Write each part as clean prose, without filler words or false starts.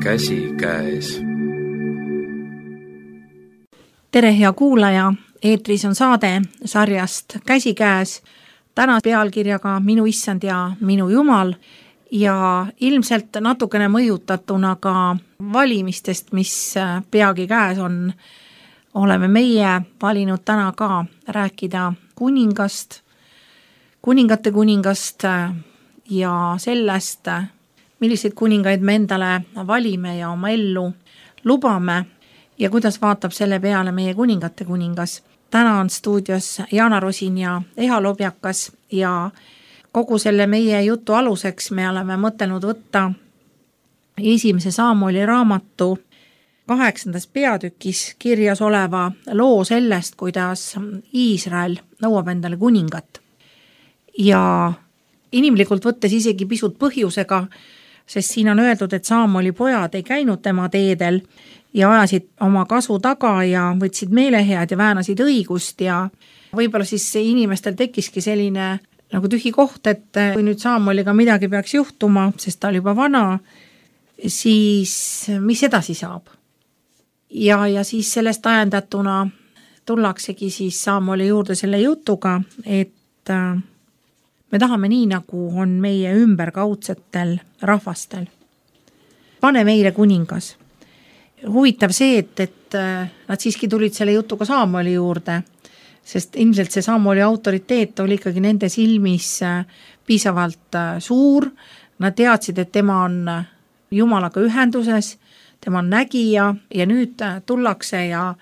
käsikäes. Tere, hea kuulaja! Eetris on saade sarjast Käsikäes. Täna pealkirjaga Minu issand ja minu jumal ja ilmselt natukene mõjutatuna ka valimistest, mis peagi käes on. Oleme meie valinud täna ka rääkida kuningast, kuningate kuningast ja sellest, milliseid kuningaid me endale valime ja oma ellu lubame ja kuidas vaatab selle peale meie kuningate kuningas. Täna on stuudios Jaana Rosin ja Eha Lobjakas ja kogu selle meie jutu aluseks me oleme mõtelnud võtta esimese Saamueli raamatu 8. peatükis kirjas oleva loo sellest, kuidas Iisrael nõuab endale kuningat. Ja inimlikult võttes isegi pisut põhjusega, sest siin on öeldud, et Saamueli pojad ei käinud tema teedel ja ajasid oma kasu taga ja võtsid meelehead ja väänasid õigust ja võib-olla siis inimestel tekkiski selline nagu tühi koht, et kui nüüd Saamueliga midagi peaks juhtuma, sest ta oli juba vana, siis mis edasi saab? Ja siis sellest ajendatuna tullaksegi siis Saamueli juurde selle jutuga, et me tahame nii, nagu on meie ümberkaudsetel rahvastel. Pane meile kuningas. Huvitav see, et nad siiski tulid selle jutuga Saamueli juurde, sest ilmselt see Saamueli autoriteet oli ikkagi nende silmis piisavalt suur. Nad teadsid, et tema on Jumalaga ühenduses, tema on nägija ja nüüd tullakse ja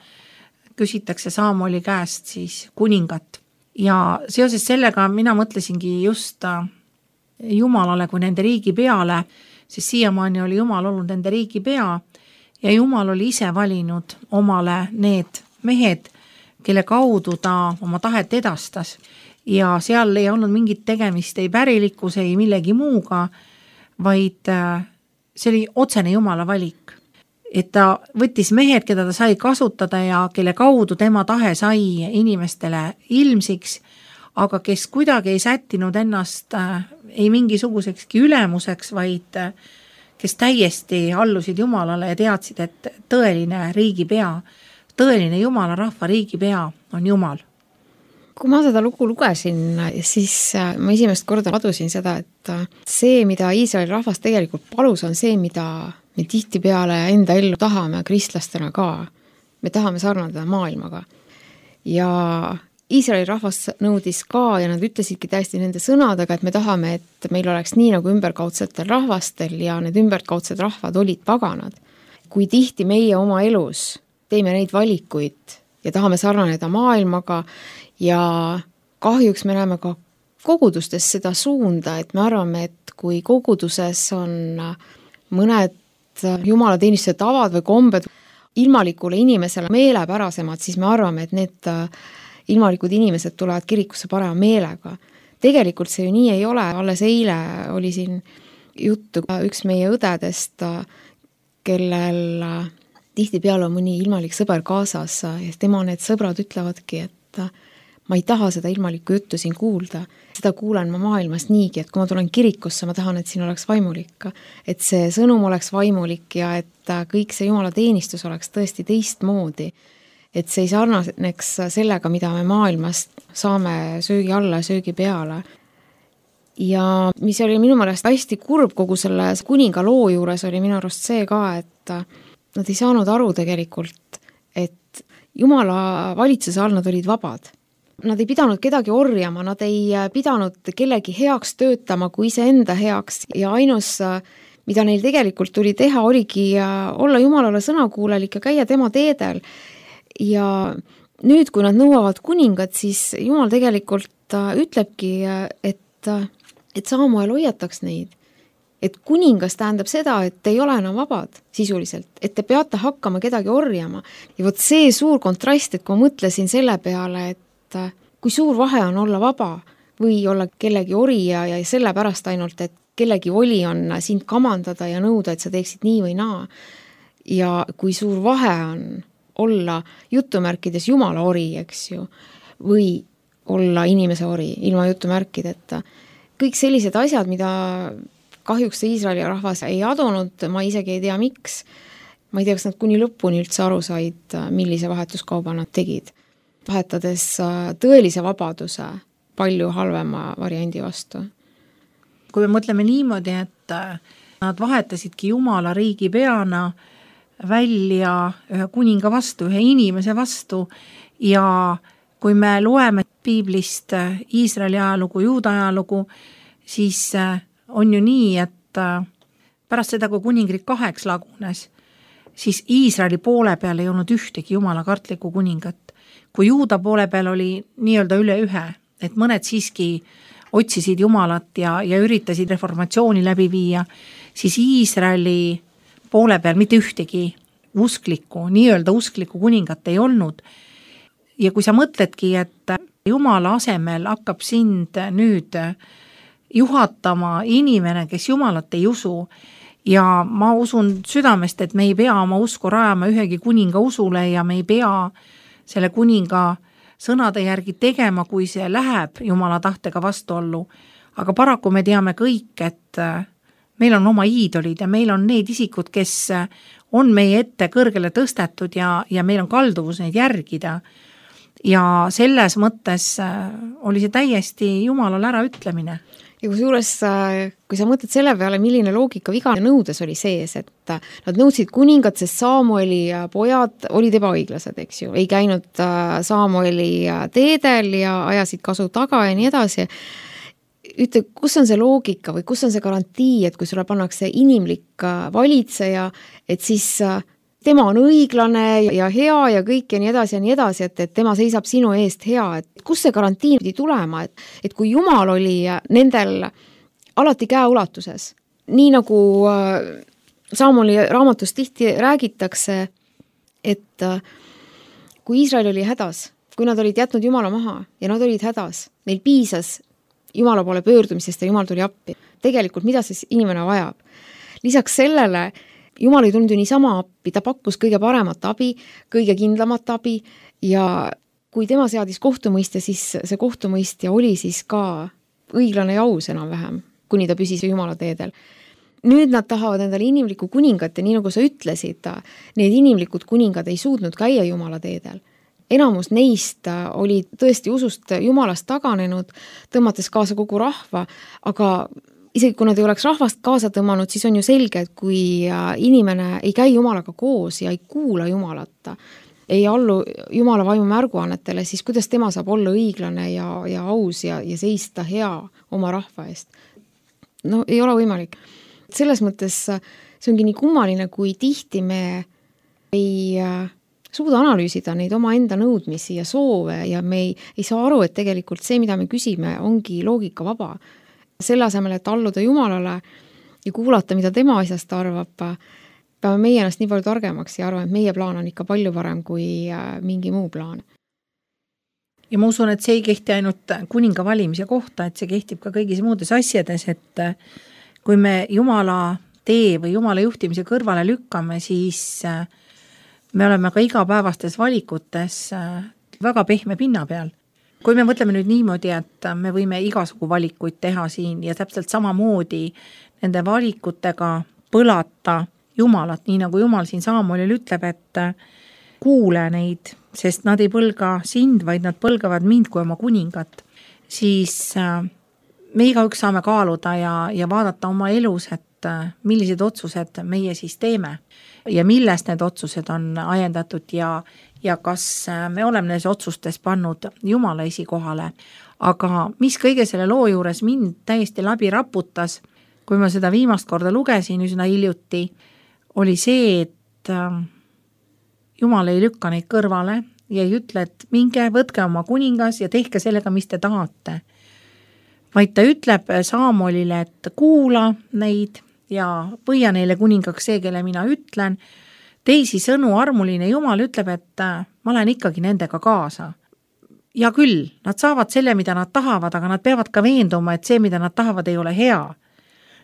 küsitakse Saamueli käest siis kuningat. Ja seoses sellega mina mõtlesingi just Jumalale kui nende riigi peale, sest siiamaani oli Jumal olnud nende riigi pea ja Jumal oli ise valinud omale need mehed, kelle kaudu ta oma tahet edastas. Ja seal ei olnud mingit tegemist ei pärilikkuse, ei millegi muuga, vaid see oli otsene Jumala valik. Et ta võttis mehed, keda ta sai kasutada ja kelle kaudu tema tahe sai inimestele ilmsiks, aga kes kuidagi ei sättinud ennast ei mingisugusekski ülemuseks, vaid kes täiesti allusid Jumalale ja teadsid, et tõeline riigipea, tõeline Jumala rahva riigipea on Jumal. Kui ma seda lugu lugesin, siis ma esimest korda adusin seda, et see, mida Iisraeli rahvas tegelikult palus, on see, mida me tihtipeale enda ellu tahame kristlastena ka. Me tahame sarnada maailmaga. Ja Iisraeli rahvas nõudis ka ja nad ütlesidki täiesti nende sõnadega, et me tahame, et meil oleks nii nagu ümberkaudsetel rahvastel ja need ümberkaudsed rahvad olid paganad. Kui tihti meie oma elus teeme neid valikuid ja tahame sarnaneda maailmaga ja kahjuks me näeme ka kogudustes seda suunda, et me arvame, et kui koguduses on mõned jumalateenistuse tavad või kombed ilmalikule inimesele meelepärasemad, siis me arvame, et need ilmalikud inimesed tulevad kirikusse parema meelega. Tegelikult see ju nii ei ole. Alles eile oli siin juttu üks meie õdedest, kellel tihtipeale on mõni ilmalik sõber kaasas ja tema need sõbrad ütlevadki, et ma ei taha seda ilmalikku juttu siin kuulda. Seda kuulen ma maailmas niigi, et kui ma tulen kirikusse, ma tahan, et siin oleks vaimulik. Et see sõnum oleks vaimulik ja et kõik see Jumala teenistus oleks tõesti teistmoodi. Et see ei sarnaneks sellega, mida me maailmast saame söögi alla ja söögi peale. Ja mis oli minu meelest hästi kurb kogu selle kuninga loo juures oli minu arust see ka, et nad ei saanud aru tegelikult, et Jumala valitsuse all nad olid vabad. Nad ei pidanud kedagi orjama, nad ei pidanud kellegi heaks töötama kui iseenda heaks ja ainus, mida neil tegelikult tuli teha, oligi olla Jumalale sõnakuulelik ja käia tema teedel. Ja nüüd, kui nad nõuavad kuningat, siis Jumal tegelikult ütlebki, et Saamuel hoiataks neid. Et kuningas tähendab seda, et ei ole enam vabad sisuliselt, et te peate hakkama kedagi orjama. Ja vot see suur kontrast, et kui mõtlesin selle peale, et kui suur vahe on olla vaba või olla kellegi orija ja sellepärast ainult, et kellegi voli on sind kamandada ja nõuda, et sa teeksid nii või naa. Ja kui suur vahe on olla jutumärkides Jumala ori, eks ju, või olla inimese ori ilma jutumärkideta. Kõik sellised asjad, mida kahjuks see Iisraeli rahvas ei adunud, ma isegi ei tea, miks. Ma ei tea, kas nad kuni lõpuni üldse aru said, millise vahetuskauba nad tegid, vahetades tõelise vabaduse palju halvema variandi vastu. Kui me mõtleme niimoodi, et nad vahetasidki Jumala riigi peana välja ühe kuninga vastu, ühe inimese vastu ja kui me loeme piiblist Iisraeli ajalugu, Juuda ajalugu, siis on ju nii, et pärast seda, kui kuningriik 2 lagunes, siis Iisraeli poole peal ei olnud ühtegi Jumala kartlikku kuningat. Kui Juuda poole peal oli nii-öelda üle 1, et mõned siiski otsisid Jumalat ja üritasid reformatsiooni läbi viia, siis Iisraeli poole peal mitte ühtegi usklikku, nii-öelda usklikku kuningat ei olnud. Ja kui sa mõtledki, et Jumala asemel hakkab sind nüüd juhatama inimene, kes Jumalat ei usu, ja ma usun südamest, et me ei pea oma usku rajama ühegi kuninga usule ja me ei pea selle kuninga sõnade järgi tegema, kui see läheb Jumala tahtega vastuollu. Aga paraku me teame kõik, et meil on oma iidolid ja meil on need isikud, kes on meie ette kõrgele tõstetud ja meil on kalduvus neid järgida. Ja selles mõttes oli see täiesti Jumalal ära ütlemine. Ja kusjuures, kui sa mõtled selle peale, milline loogika viga nõudes oli sees, et nad nõudsid kuningat, sest Saamueli pojad olid ebaõiglased, eks ju, ei käinud Saamueli teedel ja ajasid kasu taga ja nii edasi. Ütle, kus on see loogika või kus on see garantii, et kui sulle pannakse inimlik valitseja, et siis tema on õiglane ja hea ja kõik ja nii edasi, et tema seisab sinu eest hea, et kus see garantii pidi tulema, et kui Jumal oli nendel alati käeulatuses, nii nagu Saamoli raamatus tihti räägitakse, et kui Iisrael oli hädas, kui nad olid jätnud Jumala maha ja nad olid hädas, neil piisas Jumala poole pöördumisest ja Jumal tuli appi. Tegelikult mida siis inimene vajab? Lisaks sellele Jumal ei tulnud ju niisama appi, ta pakkus kõige paremat abi, kõige kindlamat abi ja kui tema seadis kohtumõistja, siis see kohtumõistja oli siis ka õiglane ja aus enam-vähem, kuni ta püsis Jumala teedel. Nüüd nad tahavad endale inimlikku kuningat ja nii nagu sa ütlesid, need inimlikud kuningad ei suutnud käia Jumala teedel. Enamus neist oli tõesti usust Jumalast taganenud, tõmmates kaasa kogu rahva, aga isegi kui nad ei oleks rahvast kaasa tõmmanud, siis on ju selge, et kui inimene ei käi Jumalaga koos ja ei kuula Jumalat, ei allu Jumala vaimu märguannetele, siis kuidas tema saab olla õiglane ja aus ja seista hea oma rahva eest? No ei ole võimalik. Selles mõttes see ongi nii kummaline, kui tihti me ei suuda analüüsida neid oma enda nõudmisi ja soove ja me ei saa aru, et tegelikult see, mida me küsime, ongi loogika vaba. Selle asemel, et alluda Jumalale ja kuulata, mida tema asjast arvab, peame meie ennast nii palju targemaks ja arvame, et meie plaan on ikka palju parem kui mingi muu plaan. Ja ma usun, et see ei kehti ainult kuninga valimise kohta, et see kehtib ka kõigis muudes asjades, et kui me Jumala tee või Jumala juhtimise kõrvale lükkame, siis me oleme ka igapäevastes valikutes väga pehme pinna peal. Kui me mõtleme nüüd niimoodi, et me võime igasugu valikuid teha siin ja täpselt samamoodi nende valikutega põlata Jumalat, nii nagu Jumal siin Saamuelil ütleb, et kuule neid, sest nad ei põlga sind, vaid nad põlgavad mind kui oma kuningat, siis me igaüks saame kaaluda ja vaadata oma elus, et millised otsused meie siis teeme ja millest need otsused on ajendatud ja kas me oleme neis otsustes pannud Jumala esikohale. Aga mis kõige selle loo juures mind täiesti läbi raputas, kui ma seda viimast korda lugesin üsna hiljuti, oli see, et Jumal ei lükka neid kõrvale ja ei ütle, et minge, võtke oma kuningas ja tehke sellega, mis te tahate. Vaid ta ütleb Saamuelile, et kuula neid ja põia neile kuningaks see, kelle mina ütlen. Teisi sõnu armuline Jumal ütleb, et ma lähen ikkagi nendega kaasa. Ja küll, nad saavad selle, mida nad tahavad, aga nad peavad ka veenduma, et see, mida nad tahavad, ei ole hea.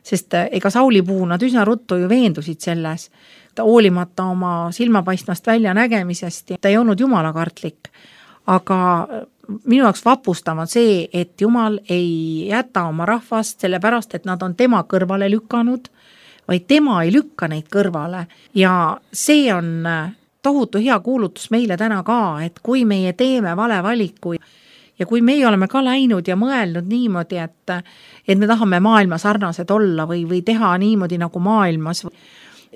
Sest ega Sauli puhul nad üsna ruttu ju veendusid selles. Ta hoolimata oma silmapaistmast välja nägemisest, ta ei olnud Jumala kartlik. Aga minu jaoks vapustav on see, et Jumal ei jäta oma rahvast sellepärast, et nad on tema kõrvale lükanud, vaid tema ei lükka neid kõrvale ja see on tohutu hea kuulutus meile täna ka, et kui meie teeme vale valiku ja kui meie oleme ka läinud ja mõelnud niimoodi, et me tahame maailma sarnased olla või teha niimoodi nagu maailmas,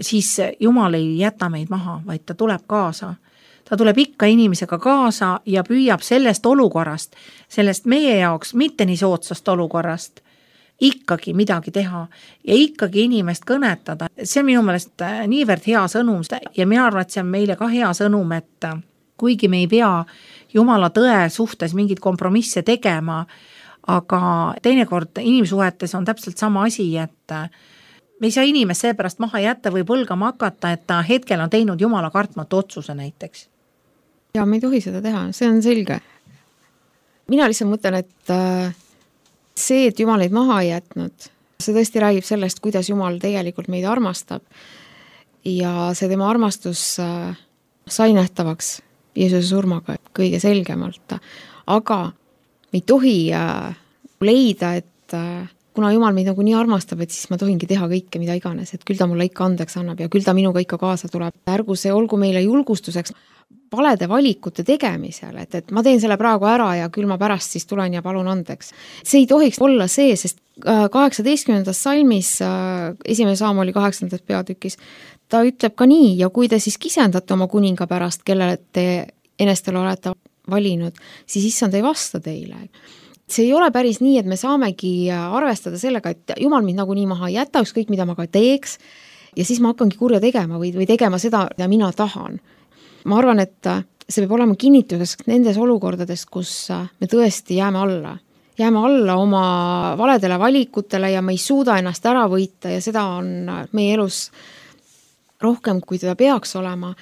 siis Jumal ei jäta meid maha, vaid ta tuleb kaasa. Ta tuleb ikka inimesega kaasa ja püüab sellest olukorrast, sellest meie jaoks mitte nii soodsast olukorrast, ikkagi midagi teha ja ikkagi inimest kõnetada. See on minu meelest niivõrd hea sõnum ja mina arvan, et see on meile ka hea sõnum, et kuigi me ei pea Jumala tõe suhtes mingid kompromisse tegema, aga teinekord inimsuhetes on täpselt sama asi, et me ei saa inimest seepärast maha jätta või põlgama hakata, et ta hetkel on teinud Jumala kartmatu otsuse näiteks. Ja me ei tohi seda teha, see on selge. Mina lihtsalt mõtlen, et see, et Jumal neid maha ei jätnud, see tõesti räägib sellest, kuidas Jumal tegelikult meid armastab ja see tema armastus sai nähtavaks Jeesuse surmaga kõige selgemalt. Aga me ei tohi leida, et kuna Jumal meid nagu nii armastab, et siis ma tohingi teha kõike, mida iganes, et küll ta mulle ikka andeks annab ja küll ta minuga ikka kaasa tuleb. Ärgu see olgu meile julgustuseks valede valikute tegemisel, et ma teen selle praegu ära ja küll ma pärast siis tulen ja palun andeks. See ei tohiks olla see, sest 18. salmis, 1. Saamoli 8. peatükis, ta ütleb ka nii, ja kui te siis kisendate oma kuninga pärast, kellele te enestel olete valinud, siis issand ei vasta teile. See ei ole päris nii, et me saamegi arvestada sellega, et Jumal mind nagunii maha ei jäta, ükskõik mida ma ka teeks, ja siis ma hakkangi kurja tegema või tegema seda, mida mina tahan. Ma arvan, et see peab olema kinnituseks nendes olukordades, kus me tõesti jääme alla oma valedele valikutele ja me ei suuda ennast ära võita ja seda on meie elus rohkem, kui teda peaks olema.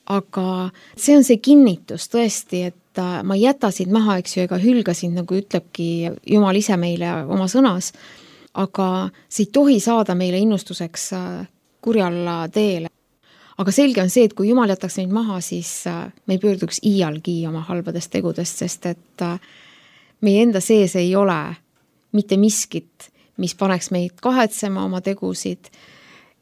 Aga see on see kinnitus tõesti, et ma ei jäta sind maha, eks ju, ega hülga sind, nagu ütlebki Jumal ise meile oma sõnas, aga see ei tohi saada meile innustuseks kurjal teele. Aga selge on see, et kui Jumal jätaks meid maha, siis me ei pöörduks iialgi oma halbadest tegudest, sest et meie enda sees ei ole mitte miskit, mis paneks meid kahetsema oma tegusid,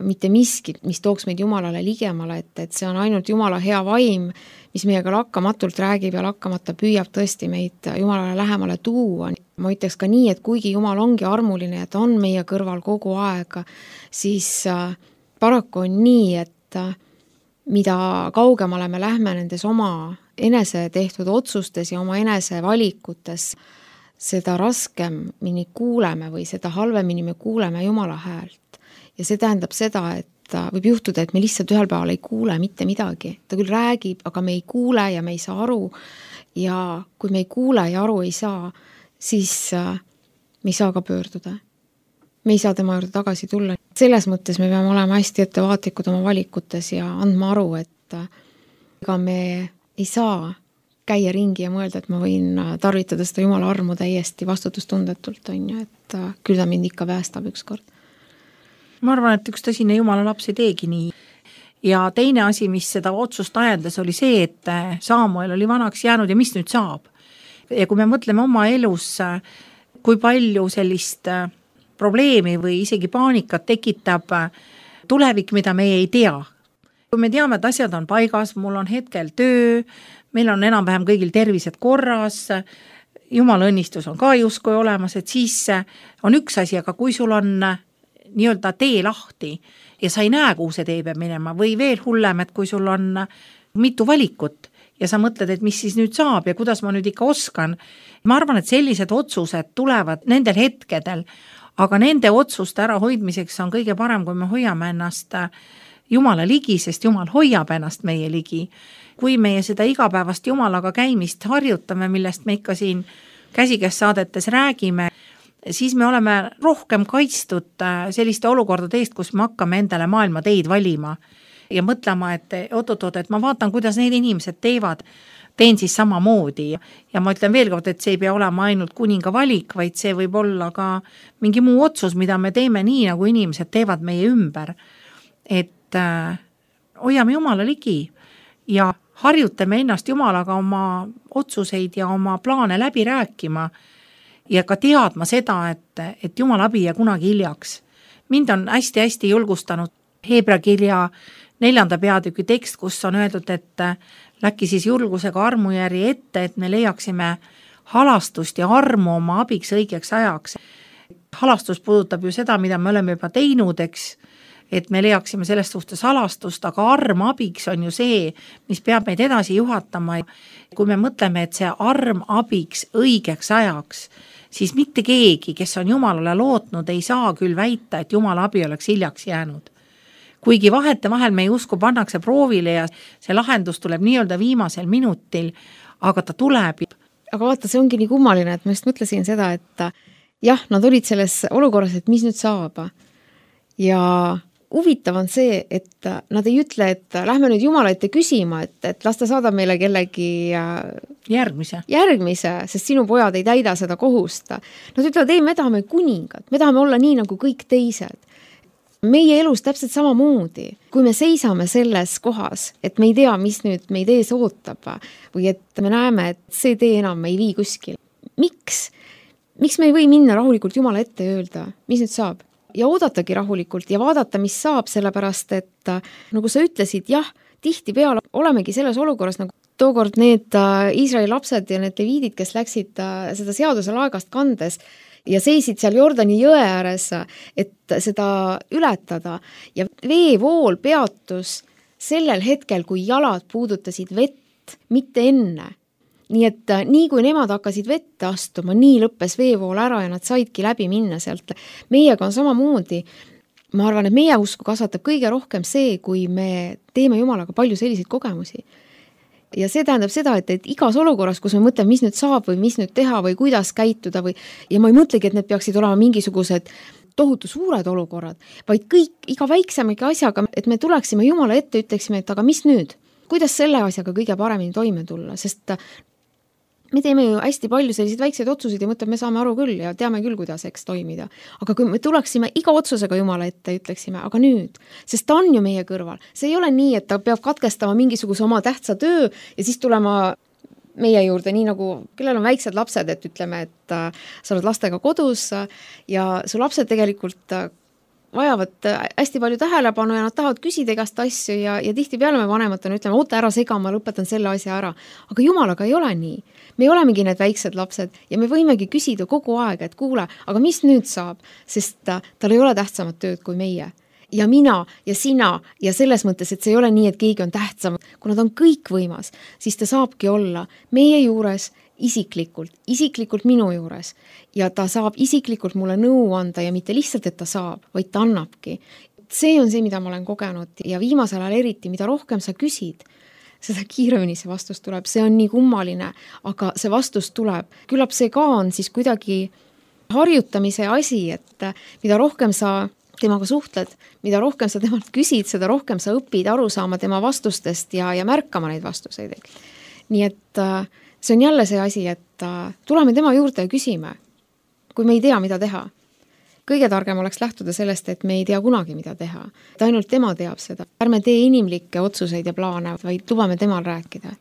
mitte miskit, mis tooks meid Jumalale ligemale, et see on ainult Jumala hea vaim, mis meiega lakkamatult räägib ja lakkamata püüab tõesti meid Jumalale lähemale tuua. Ma ütleks ka nii, et kuigi Jumal ongi armuline ja ta on meie kõrval kogu aeg, siis paraku on nii, et mida kaugemale me lähme nendes oma enese tehtud otsustes ja oma enese valikutes, seda raskemini kuuleme või seda halvemini me kuuleme Jumala häält. Ja see tähendab seda, et võib juhtuda, et me lihtsalt ühel päeval ei kuule mitte midagi. Ta küll räägib, aga me ei kuule ja me ei saa aru. Ja kui me ei kuule ja aru ei saa, siis me ei saa ka pöörduda. Me ei saa tema juurde tagasi tulla. Selles mõttes me peame olema hästi ettevaatlikud oma valikutes ja andma aru, et ega me ei saa käia ringi ja mõelda, et ma võin tarvitada seda Jumala armu täiesti vastutustundetult, on ju, et küll ta mind ikka päästab ükskord. Ma arvan, et üks tõsine Jumala laps ei teegi nii. Ja teine asi, mis seda otsust ajendas, oli see, et Saamuel oli vanaks jäänud ja mis nüüd saab. Ja kui me mõtleme oma elus, kui palju sellist probleemi või isegi paanikat tekitab tulevik, mida meie ei tea. Kui me teame, et asjad on paigas, mul on hetkel töö, meil on enam-vähem kõigil tervised korras, Jumala õnnistus on ka justkui olemas, et siis on üks asi, aga kui sul on nii-öelda tee lahti ja sa ei näe, kuhu see tee peab minema või veel hullem, et kui sul on mitu valikut ja sa mõtled, et mis siis nüüd saab ja kuidas ma nüüd ikka oskan. Ma arvan, et sellised otsused tulevad nendel hetkedel, aga nende otsuste ärahoidmiseks on kõige parem, kui me hoiame ennast Jumala ligi, sest Jumal hoiab ennast meie ligi. Kui meie seda igapäevast Jumalaga käimist harjutame, millest me ikka siin käsikäes saadetes räägime, siis me oleme rohkem kaitstud selliste olukordade eest, kus me hakkame endale maailma teid valima ja mõtlema, et oot-oot, et ma vaatan, kuidas need inimesed teevad, teen siis samamoodi. Ja ma ütlen veel kord, et see ei pea olema ainult kuninga valik, vaid see võib olla ka mingi muu otsus, mida me teeme nii, nagu inimesed teevad meie ümber. Et hoiame Jumala ligi ja harjutame ennast Jumalaga oma otsuseid ja oma plaane läbi rääkima ja ka teadma seda, et Jumala abi ja kunagi hiljaks. Mind on hästi-hästi julgustanud Heebra kirja 4. peatüki tekst, kus on öeldud, et läki siis julgusega armujärgi ette, et me leiaksime halastust ja armu oma abiks õigeks ajaks. Halastus puudutab ju seda, mida me oleme juba teinud, eks, et me leiaksime sellest suhtes halastust, aga arm abiks on ju see, mis peab meid edasi juhatama. Kui me mõtleme, et see arm abiks õigeks ajaks, siis mitte keegi, kes on Jumalale lootnud, ei saa küll väita, et Jumala abi oleks hiljaks jäänud. Kuigi vahetevahel meie usku pannakse proovile ja see lahendus tuleb nii-öelda viimasel minutil, aga ta tuleb. Aga vaata, see ongi nii kummaline, et ma just mõtlesin seda, et jah, nad olid selles olukorras, et mis nüüd saab. Ja huvitav on see, et nad ei ütle, et lähme nüüd Jumala ette küsima, et las ta saadab meile kellegi järgmise, sest sinu pojad ei täida seda kohust. Nad ütlevad, ei, me tahame kuningat, me tahame olla nii nagu kõik teised. Meie elus täpselt samamoodi, kui me seisame selles kohas, et me ei tea, mis nüüd meid ees ootab või et me näeme, et see tee enam ei vii kuskil. Miks me ei või minna rahulikult Jumala ette ja öelda, mis nüüd saab? Ja oodatagi rahulikult ja vaadata, mis saab, sellepärast, et nagu sa ütlesid, jah, tihti peale olemegi selles olukorras, nagu tookord need Iisraeli lapsed ja need leviidid, kes läksid seda seaduse laegast kandes ja seisid seal Jordani jõe ääres, et seda ületada. Ja veevool peatus sellel hetkel, kui jalad puudutasid vett, mitte enne. Nii et nii kui nemad hakkasid vette astuma, nii lõppes veevool ära ja nad saidki läbi minna sealt. Meiega on samamoodi. Ma arvan, et meie usku kasvatab kõige rohkem see, kui me teeme Jumalaga palju selliseid kogemusi. Ja see tähendab seda, et igas olukorras, kus me mõtleme, mis nüüd saab või mis nüüd teha või kuidas käituda ja ma ei mõtlegi, et need peaksid olema mingisugused tohutu suured olukorrad, vaid kõik, iga väiksemegi asjaga, et me tuleksime Jumala ette, ütleksime, et aga mis nüüd? Kuidas selle asjaga kõige paremini toime tulla? Sest me teeme ju hästi palju selliseid väikseid otsuseid ja mõtleme, me saame aru küll ja teame küll, kuidas eks toimida. Aga kui me tuleksime iga otsusega Jumala ette, ütleksime, aga nüüd, sest ta on ju meie kõrval. See ei ole nii, et ta peab katkestama mingisuguse oma tähtsa töö ja siis tulema meie juurde, nii nagu, kellel on väiksed lapsed, et ütleme, et sa oled lastega kodus ja su lapsed tegelikult vajavad hästi palju tähelepanu ja nad tahavad küsida igast asju ja tihti peale me vanematena ütleme, oota ära sega, ma lõpetan selle asja ära. Aga Jumalaga ei ole nii. Me olemegi need väiksed lapsed ja me võimegi küsida kogu aeg, et kuule, aga mis nüüd saab? Sest tal ei ole tähtsamat tööd kui meie. Ja mina ja sina ja selles mõttes, et see ei ole nii, et keegi on tähtsam. Kui nad on kõik võimas, siis ta saabki olla meie juures isiklikult minu juures ja ta saab isiklikult mulle nõu anda ja mitte lihtsalt, et ta saab, vaid ta annabki. See on see, mida ma olen kogenud ja viimasel ajal eriti, mida rohkem sa küsid, seda kiiremini see vastus tuleb. See on nii kummaline, aga see vastus tuleb. Küllap see ka on siis kuidagi harjutamise asi, et mida rohkem sa temaga suhtled, mida rohkem sa temalt küsid, seda rohkem sa õpid aru saama tema vastustest ja märkama neid vastuseid. Nii et see on jälle see asi, et tuleme tema juurde ja küsime, kui me ei tea, mida teha. Kõige targem oleks lähtuda sellest, et me ei tea kunagi, mida teha. Et ainult tema teab seda. Ärme tee inimlikke otsuseid ja plaane, vaid lubame temal rääkida.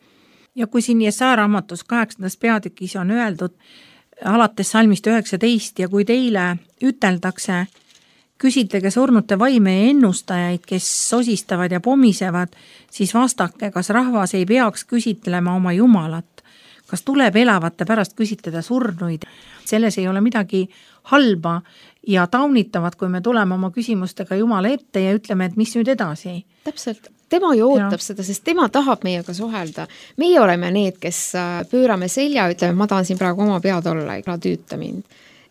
Ja kui siin Jesaja raamatus 8. peatükis on öeldud alates salmist 19 ja kui teile üteldakse, küsitlege surnute vaime ja ennustajaid, kes sosistavad ja pomisevad, siis vastake, kas rahvas ei peaks küsitlema oma Jumalat. Kas tuleb elavate pärast küsitleda surnuid? Selles ei ole midagi halba ja taunitavat, kui me tuleme oma küsimustega Jumala ette ja ütleme, et mis nüüd edasi. Täpselt. Tema ju ootab seda, sest tema tahab meiega suhelda. Meie oleme need, kes pöörame selja, ütleme, ma tahan siin praegu oma pead olla, ega tüüta mind.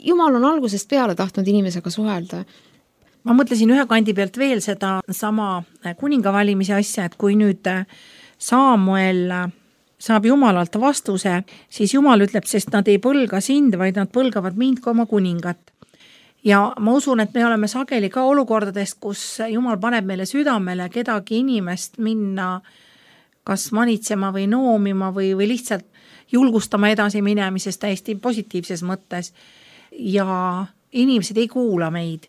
Jumal on algusest peale tahtnud inimesega suhelda. Ma mõtlesin ühe kandi pealt veel seda sama kuninga valimise asja, et kui nüüd Samuel saab Jumalalt vastuse, siis Jumal ütleb, sest nad ei põlga sind, vaid nad põlgavad mind kui oma kuningat. Ja ma usun, et me oleme sageli ka olukordadest, kus Jumal paneb meile südamele kedagi inimest minna kas manitsema või noomima või lihtsalt julgustama edasi minemisest täiesti positiivses mõttes. Ja inimesed ei kuula meid.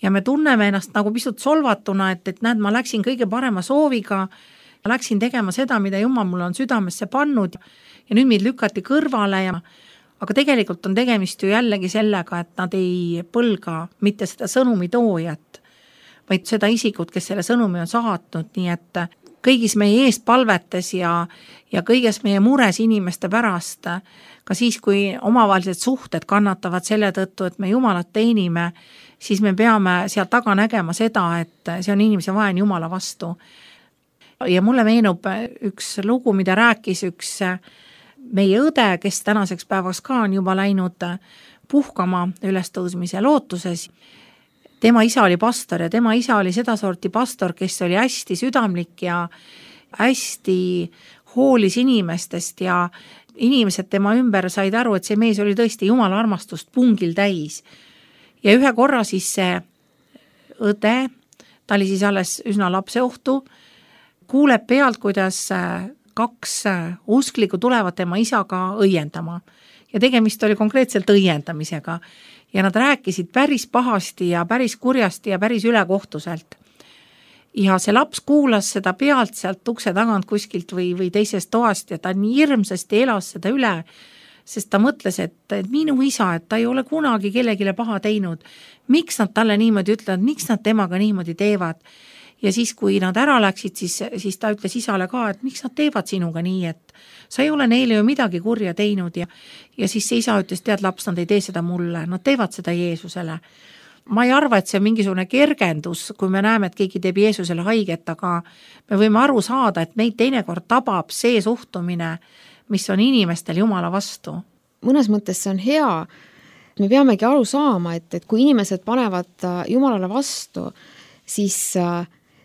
Ja me tunneme ennast nagu pisut solvatuna, et näed, ma läksin kõige parema sooviga Ma läksin tegema seda, mida Jumal mulle on südamesse pannud ja nüüd mind lükati kõrvale aga tegelikult on tegemist ju jällegi sellega, et nad ei põlga mitte seda sõnumi toojat, vaid seda isikut, kes selle sõnumi on saatnud, nii et kõigis meie eestpalvetes ja kõiges meie mures inimeste pärast, ka siis, kui omavahelised suhted kannatavad selle tõttu, et me Jumalat teenime, siis me peame sealt taga nägema seda, et see on inimese vaen Jumala vastu. Ja mulle meenub üks lugu, mida rääkis üks meie õde, kes tänaseks päevaks ka on juba läinud puhkama ülestõusmise lootuses. Tema isa oli pastor ja tema isa oli sedasorti pastor, kes oli hästi südamlik ja hästi hoolis inimestest ja inimesed tema ümber said aru, et see mees oli tõesti Jumala armastust pungil täis. Ja ühe korra siis see õde, ta oli siis alles üsna lapseohtu, kuuleb pealt, kuidas 2 usklikku tulevad tema isaga õiendama. Ja tegemist oli konkreetselt õiendamisega. Ja nad rääkisid päris pahasti ja päris kurjasti ja päris ülekohtuselt. Ja see laps kuulas seda pealt sealt ukse tagant kuskilt või teisest toast ja ta nii hirmsasti elas seda üle, sest ta mõtles, et minu isa, et ta ei ole kunagi kellegile paha teinud. Miks nad talle niimoodi ütlevad, miks nad temaga niimoodi teevad? Ja siis, kui nad ära läksid, siis ta ütles isale ka, et miks nad teevad sinuga nii, et sa ei ole neile ju midagi kurja teinud ja siis see isa ütles, tead laps, nad ei tee seda mulle, nad teevad seda Jeesusele. Ma ei arva, et see on mingisugune kergendus, kui me näeme, et keegi teeb Jeesusele haiget, aga me võime aru saada, et meid teinekord tabab see suhtumine, mis on inimestel Jumala vastu. Mõnes mõttes see on hea, me peamegi aru saama, et kui inimesed panevad Jumalale vastu, siis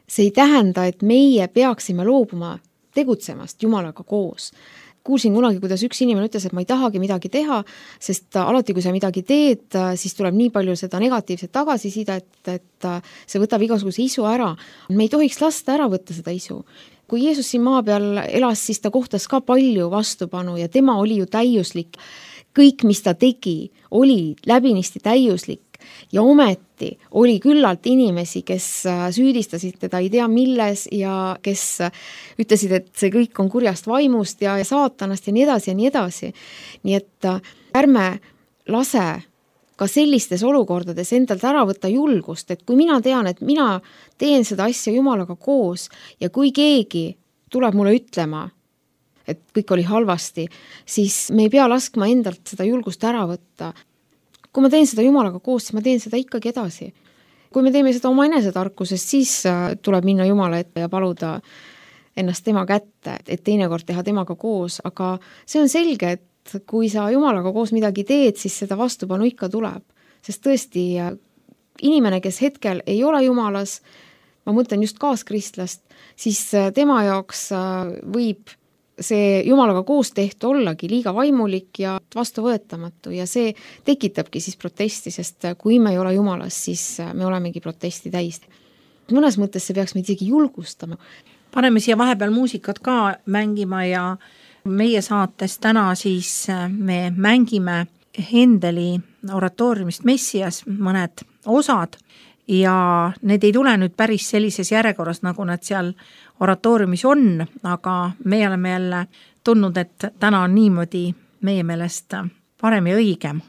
see ei tähenda, et meie peaksime loobuma tegutsemast Jumalaga koos. Kuulsin kunagi, kuidas üks inimene ütles, et ma ei tahagi midagi teha, sest alati, kui sa midagi teed, siis tuleb nii palju seda negatiivset tagasisidet, et see võtab igasuguse isu ära. Me ei tohiks lasta ära võtta seda isu. Kui Jeesus siin maa peal elas, siis ta kohtas ka palju vastupanu ja tema oli ju täiuslik. Kõik, mis ta tegi, oli läbinisti täiuslik. Ja ometi oli küllalt inimesi, kes süüdistasid teda ei tea milles ja kes ütlesid, et see kõik on kurjast vaimust ja saatanast ja nii edasi ja nii edasi. Nii et ärme lase ka sellistes olukordades endalt ära võtta julgust, et kui mina tean, et mina teen seda asja Jumalaga koos ja kui keegi tuleb mulle ütlema, et kõik oli halvasti, siis me ei pea laskma endalt seda julgust ära võtta. Kui ma teen seda Jumalaga koos, siis ma teen seda ikkagi edasi. Kui me teeme seda oma enesetarkusest, siis tuleb minna Jumala ette ja paluda ennast tema kätte, et teinekord teha temaga koos, aga see on selge, et kui sa Jumalaga koos midagi teed, siis seda vastupanu ikka tuleb. Sest tõesti, inimene, kes hetkel ei ole Jumalas, ma mõtlen just kaaskristlast, siis tema jaoks võib see Jumalaga koos tehtu ollagi liiga vaimulik ja vastuvõetamatu ja see tekitabki siis protesti, sest kui me ei ole Jumalas, siis me olemegi protesti täis. Mõnes mõttes see peaks meid isegi julgustama. Paneme siia vahepeal muusikat ka mängima ja meie saates täna siis me mängime Hendeli oratooriumist Messias mõned osad ja need ei tule nüüd päris sellises järjekorras, nagu nad seal oratooriumis on, aga me oleme jälle tundnud, et täna on niimoodi meie meelest parem ja õigem.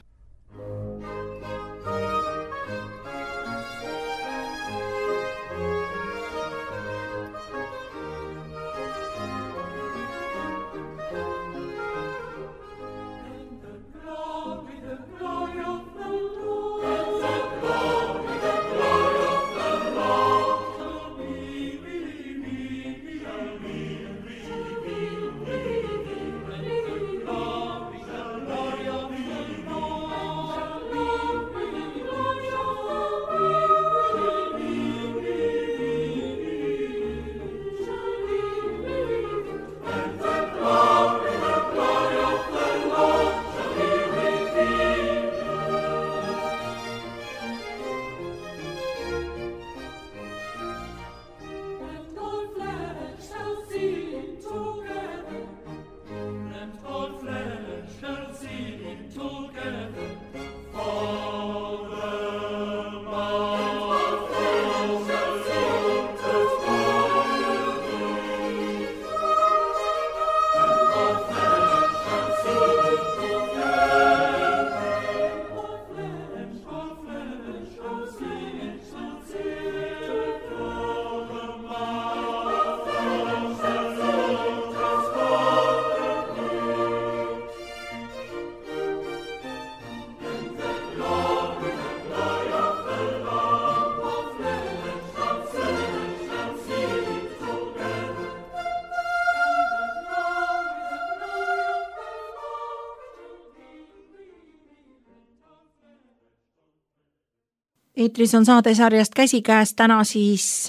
Eetris on saadesarjast Käsikäes täna siis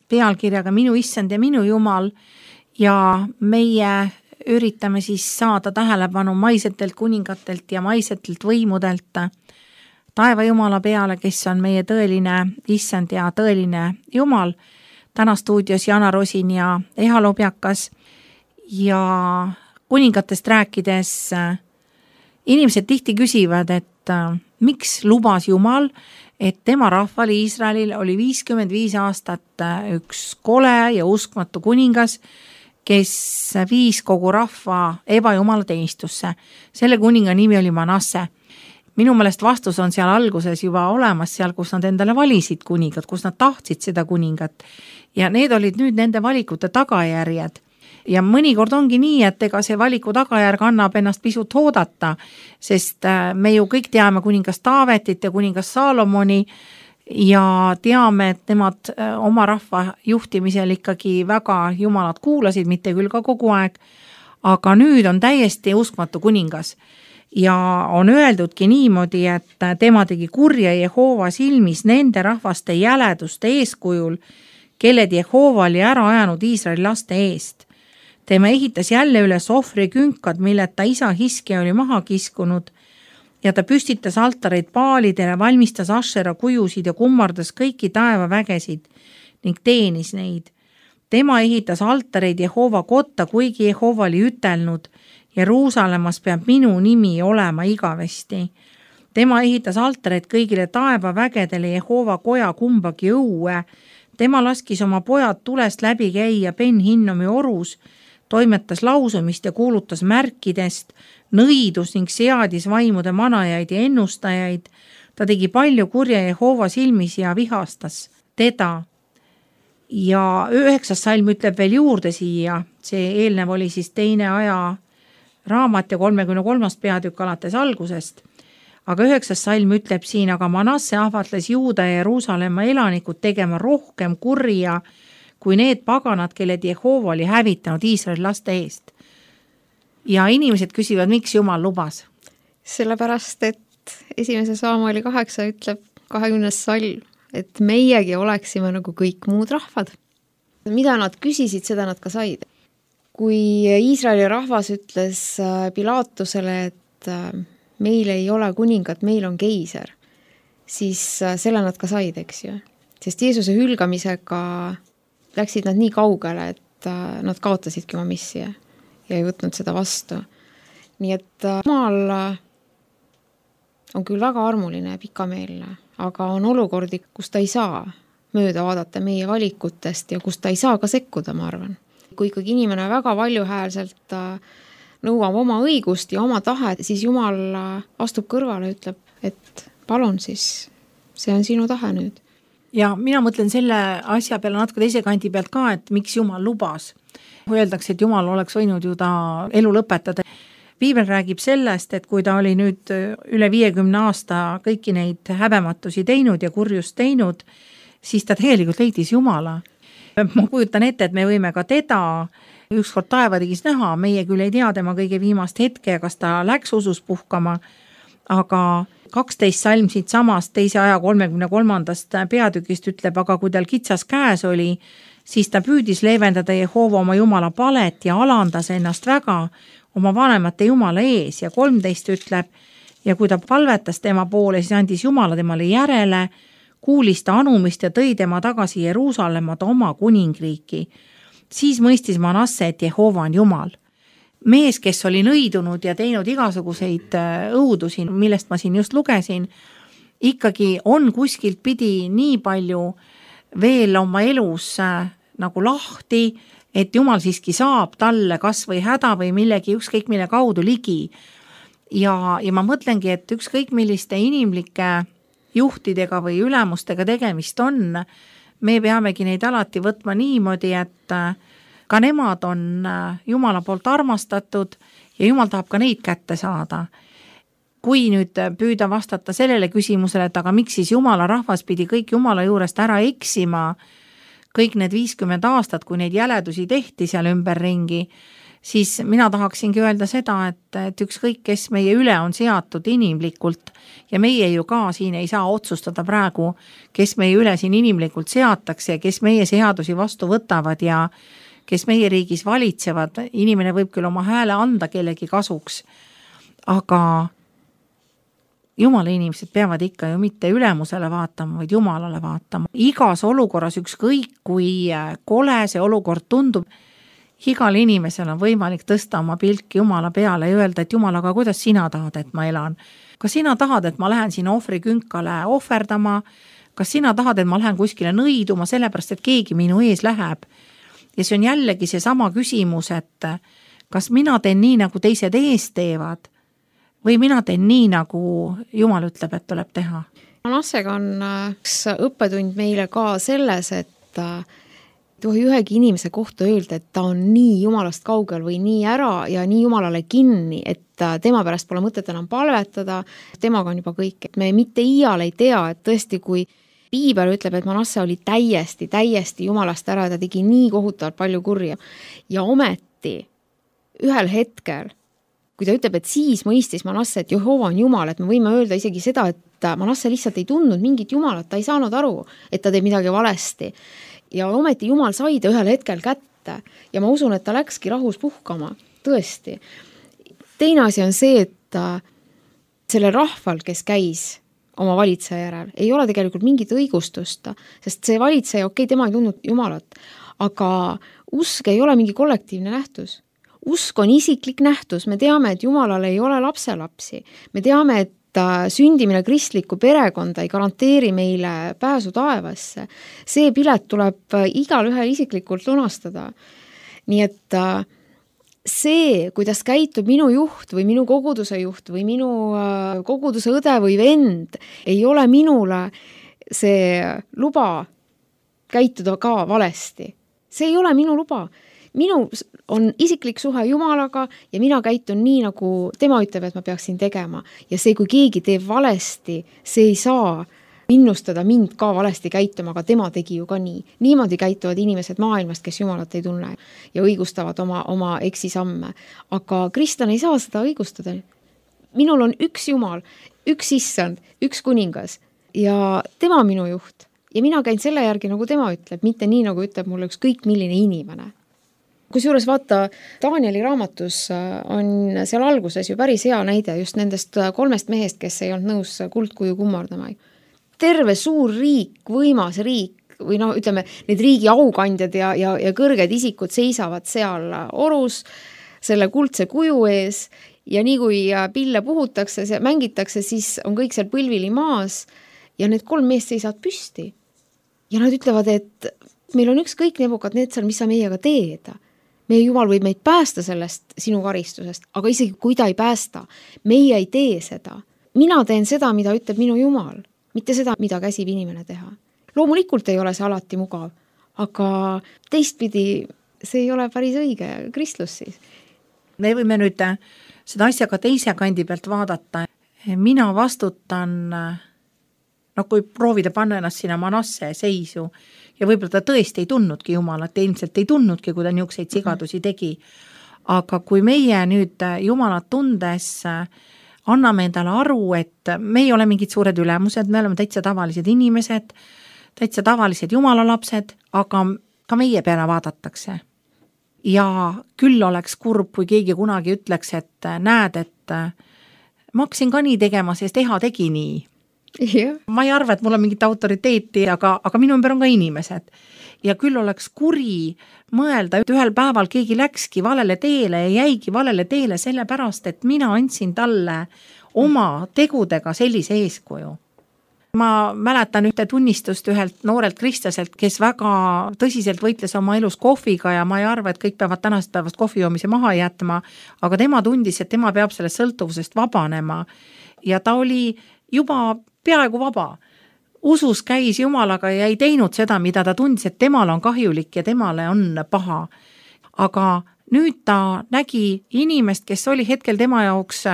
pealkirjaga Minu issand ja minu jumal ja meie üritame siis saada tähelepanu maisetelt kuningatelt ja maisetelt võimudelt taeva jumala peale, kes on meie tõeline issand ja tõeline jumal. Täna stuudios Jana Rosin ja Eha Lobjakas ja kuningatest rääkides inimesed tihti küsivad, et miks lubas Jumal, et tema rahval Iisraelil oli 55 aastat üks kole ja uskmatu kuningas, kes viis kogu rahva ebajumala teenistusse. Selle kuninga nimi oli Manasse. Minu meelest vastus on seal alguses juba olemas, seal, kus nad endale valisid kuningad, kus nad tahtsid seda kuningat. Ja need olid nüüd nende valikute tagajärjed. Ja mõnikord ongi nii, et ega see valiku tagajärg annab ennast pisut oodata, sest me ju kõik teame kuningas Taavetit ja kuningas Saalomoni ja teame, et nemad oma rahva juhtimisel ikkagi väga jumalat kuulasid, mitte küll ka kogu aeg, aga nüüd on täiesti uskmatu kuningas. Ja on öeldudki niimoodi, et tema tegi kurja Jehova silmis nende rahvaste jäleduste eeskujul, kelled Jehova oli ära ajanud Iisraeli laste eest. Tema ehitas jälle üles ohvrikünkad, milled ta isa Hiske oli maha kiskunud ja ta püstitas altareid paalidele, valmistas Ashera kujusid ja kummardas kõiki taevavägesid ning teenis neid. Tema ehitas altareid Jehova kotta, kuigi Jehova oli ütelnud, Jeruusalemmas peab minu nimi olema igavesti. Tema ehitas altareid kõigile taevavägedele Jehova koja kumbagi õue. Tema laskis oma pojad tulest läbi käia Ben-Hinnomi orus, toimetas lausumist ja kuulutas märkidest, nõidus ning seadis vaimude manajaid ja ennustajaid. Ta tegi palju kurja Jehova silmis ja vihastas teda. Ja 9. salm ütleb veel juurde siia, see eelnev oli siis 2. aja raamat ja 33. peatükk alates algusest. Aga 9. salm ütleb siin, aga Manasse ahvatles Juuda ja Jeruusalemma elanikud tegema rohkem kurja kui need paganad, kelled Jehova oli hävitanud Iisraeli laste eest. Ja inimesed küsivad, miks Jumal lubas? Sellepärast, et 1. Saamueli 8 ütleb 20. salm, et meiegi oleksime nagu kõik muud rahvad. Mida nad küsisid, seda nad ka said. Kui Iisraeli rahvas ütles Pilaatusele, et meil ei ole kuningat, meil on keiser, siis selle nad ka said, eks ju. Sest Jeesuse hülgamisega läksid nad nii kaugele, et nad kaotasidki oma missi ja ei võtnud seda vastu. Nii et Jumal on küll väga armuline ja pikameelne, aga on olukordi, kus ta ei saa mööda vaadata meie valikutest ja kus ta ei saa ka sekkuda, ma arvan. Kui ikkagi inimene väga valjuhäälselt nõuab oma õigust ja oma tahet, siis Jumal astub kõrvale ja ütleb, et palun siis, see on sinu tahe nüüd. Ja mina mõtlen selle asja peale natuke teise kandi pealt ka, et miks Jumal lubas. Kui öeldakse, et Jumal oleks võinud ju ta elu lõpetada. Piibel räägib sellest, et kui ta oli nüüd üle 50 aasta kõiki neid häbematusi teinud ja kurjust teinud, siis ta tegelikult leidis Jumala. Ma kujutan ette, et me võime ka teda ükskord taevadigis näha, meie küll ei tea tema kõige viimast hetke, kas ta läks usus puhkama, aga 12 salm siit samast 2. aja 33. peatükist ütleb, aga kui tal kitsas käes oli, siis ta püüdis leevendada Jehova oma jumala palet ja alandas ennast väga oma vanemate jumala ees ja 13 ütleb, ja kui ta palvetas tema poole, siis andis Jumala temale järele, kuulis ta anumist ja tõi tema tagasi Jeruusalemma oma kuningriiki. Siis mõistis Manasse, et Jehova on Jumal. Mees, kes oli nõidunud ja teinud igasuguseid õudusi, millest ma siin just lugesin, ikkagi on kuskilt pidi nii palju veel oma elus nagu lahti, et Jumal siiski saab talle kas või häda või millegi ükskõik mille kaudu ligi. Ja ma mõtlengi, et ükskõik milliste inimlike juhtidega või ülemustega tegemist on, me peamegi neid alati võtma niimoodi, et ka nemad on Jumala poolt armastatud ja Jumal tahab ka neid kätte saada. Kui nüüd püüda vastata sellele küsimusele, et aga miks siis Jumala rahvas pidi kõik Jumala juurest ära eksima, kõik need 50 aastat, kui neid jäledusi tehti seal ümberringi, siis mina tahaksingi öelda seda, et ükskõik, kes meie üle on seatud inimlikult ja meie ju ka siin ei saa otsustada praegu, kes meie üle siin inimlikult seatakse ja kes meie seadusi vastu võtavad ja kes meie riigis valitsevad. Inimene võib küll oma hääle anda kellegi kasuks, aga Jumala inimesed peavad ikka ju mitte ülemusele vaatama, vaid Jumalale vaatama. Igas olukorras, ükskõik kui kole see olukord tundub, igal inimesel on võimalik tõsta oma pilk Jumala peale ja öelda, et Jumal, aga kuidas sina tahad, et ma elan? Kas sina tahad, et ma lähen sinna ohvrikünkale ohverdama? Kas sina tahad, et ma lähen kuskile nõiduma sellepärast, et keegi minu ees läheb? Ja see on jällegi see sama küsimus, et kas mina teen nii, nagu teised ees teevad või mina teen nii, nagu Jumal ütleb, et tuleb teha? Manassega on üks õppetund meile ka selles, et tohi ühegi inimese kohta öelda, et ta on nii Jumalast kaugel või nii ära ja nii Jumalale kinni, et tema pärast pole mõtet enam palvetada, temaga on juba kõik. Et me mitte iial ei tea, et tõesti, kui Piibel ütleb, et Manasse oli täiesti Jumalast ära ja ta tegi nii kohutavalt palju kurja. Ja ometi ühel hetkel, kui ta ütleb, et siis mõistis Manasse, et Jehova on Jumal, et me võime öelda isegi seda, et Manasse lihtsalt ei tundnud mingit Jumalat, ta ei saanud aru, et ta teeb midagi valesti. Ja ometi Jumal sai ta ühel hetkel kätte ja ma usun, et ta läkski rahus puhkama, tõesti. Teine asi on see, et selle rahval, kes käis oma valitseja järel, ei ole tegelikult mingit õigustust, sest see valitseja, okei, tema ei tundnud Jumalat, aga usk ei ole mingi kollektiivne nähtus. Usk on isiklik nähtus, me teame, et Jumalal ei ole lapselapsi, me teame, et sündimine kristlikku perekonda ei garanteeri meile pääsu taevasse. See pilet tuleb igal ühel isiklikult lunastada. Nii et see, kuidas käitub minu juht või minu koguduse juht või minu koguduse õde või vend, ei ole minule see luba käituda ka valesti. See ei ole minu luba. Minu on isiklik suhe Jumalaga ja mina käitun nii, nagu tema ütleb, et ma peaksin tegema. Ja see, kui keegi teeb valesti, see ei saa innustada mind ka valesti käituma, aga tema tegi ju ka nii. Niimoodi käituvad inimesed maailmast, kes Jumalat ei tunne ja õigustavad oma eksisamme. Aga kristlane ei saa seda õigustada. Minul on üks Jumal, üks issand, üks kuningas ja tema minu juht. Ja mina käin selle järgi, nagu tema ütleb, mitte nii, nagu ütleb mulle ükskõik milline inimene. Kusjuures vaata, Danieli raamatus on seal alguses ju päris hea näide just nendest 3 mehest, kes ei olnud nõus kuldkuju kummardama. Terve suur riik, võimas riik või ütleme, need riigi aukandjad ja kõrged isikud seisavad seal orus selle kuldse kuju ees ja nii kui pille puhutakse, mängitakse, siis on kõik seal põlvili maas ja need 3 meest seisavad püsti. Ja nad ütlevad, et meil on ükskõik Nebukadnetsar, mis sa meiega teed. Meie Jumal võib meid päästa sellest sinu karistusest, aga isegi kui ta ei päästa, meie ei tee seda. Mina teen seda, mida ütleb minu Jumal, mitte seda, mida käsib inimene teha. Loomulikult ei ole see alati mugav, aga teistpidi see ei ole päris õige kristlus siis. Me võime nüüd seda asja ka teise kandi pealt vaadata. Mina vastutan, kui proovida panna ennast sinna Manasse seisu, ja võib-olla ta tõesti ei tundnudki Jumalat, ilmselt ei tundnudki, kui ta niisuguseid sigadusi tegi. Aga kui meie nüüd Jumalat tundes anname endale aru, et me ei ole mingid suured ülemused, me oleme täitsa tavalised inimesed, täitsa tavalised Jumala lapsed, aga ka meie peale vaadatakse. Ja küll oleks kurb, kui keegi kunagi ütleks, et näed, et ma hakkasin ka nii tegema, sest Eha tegi nii. Yeah. Ma ei arva, et mul on mingit autoriteeti, aga minu ümber on ka inimesed. Ja küll oleks kuri mõelda, et ühel päeval keegi läkski valele teele ja jäigi valele teele sellepärast, et mina andsin talle oma tegudega sellise eeskuju. Ma mäletan ühte tunnistust ühelt noorelt kristlaselt, kes väga tõsiselt võitles oma elus kohviga ja ma ei arva, et kõik peavad tänast päevast kohvijoomise maha jätma, aga tema tundis, et tema peab sellest sõltuvusest vabanema ja ta oli juba peaaegu vaba. Usus käis Jumalaga ja ei teinud seda, mida ta tundis, et temale on kahjulik ja temale on paha. Aga nüüd ta nägi inimest, kes oli hetkel tema jaoks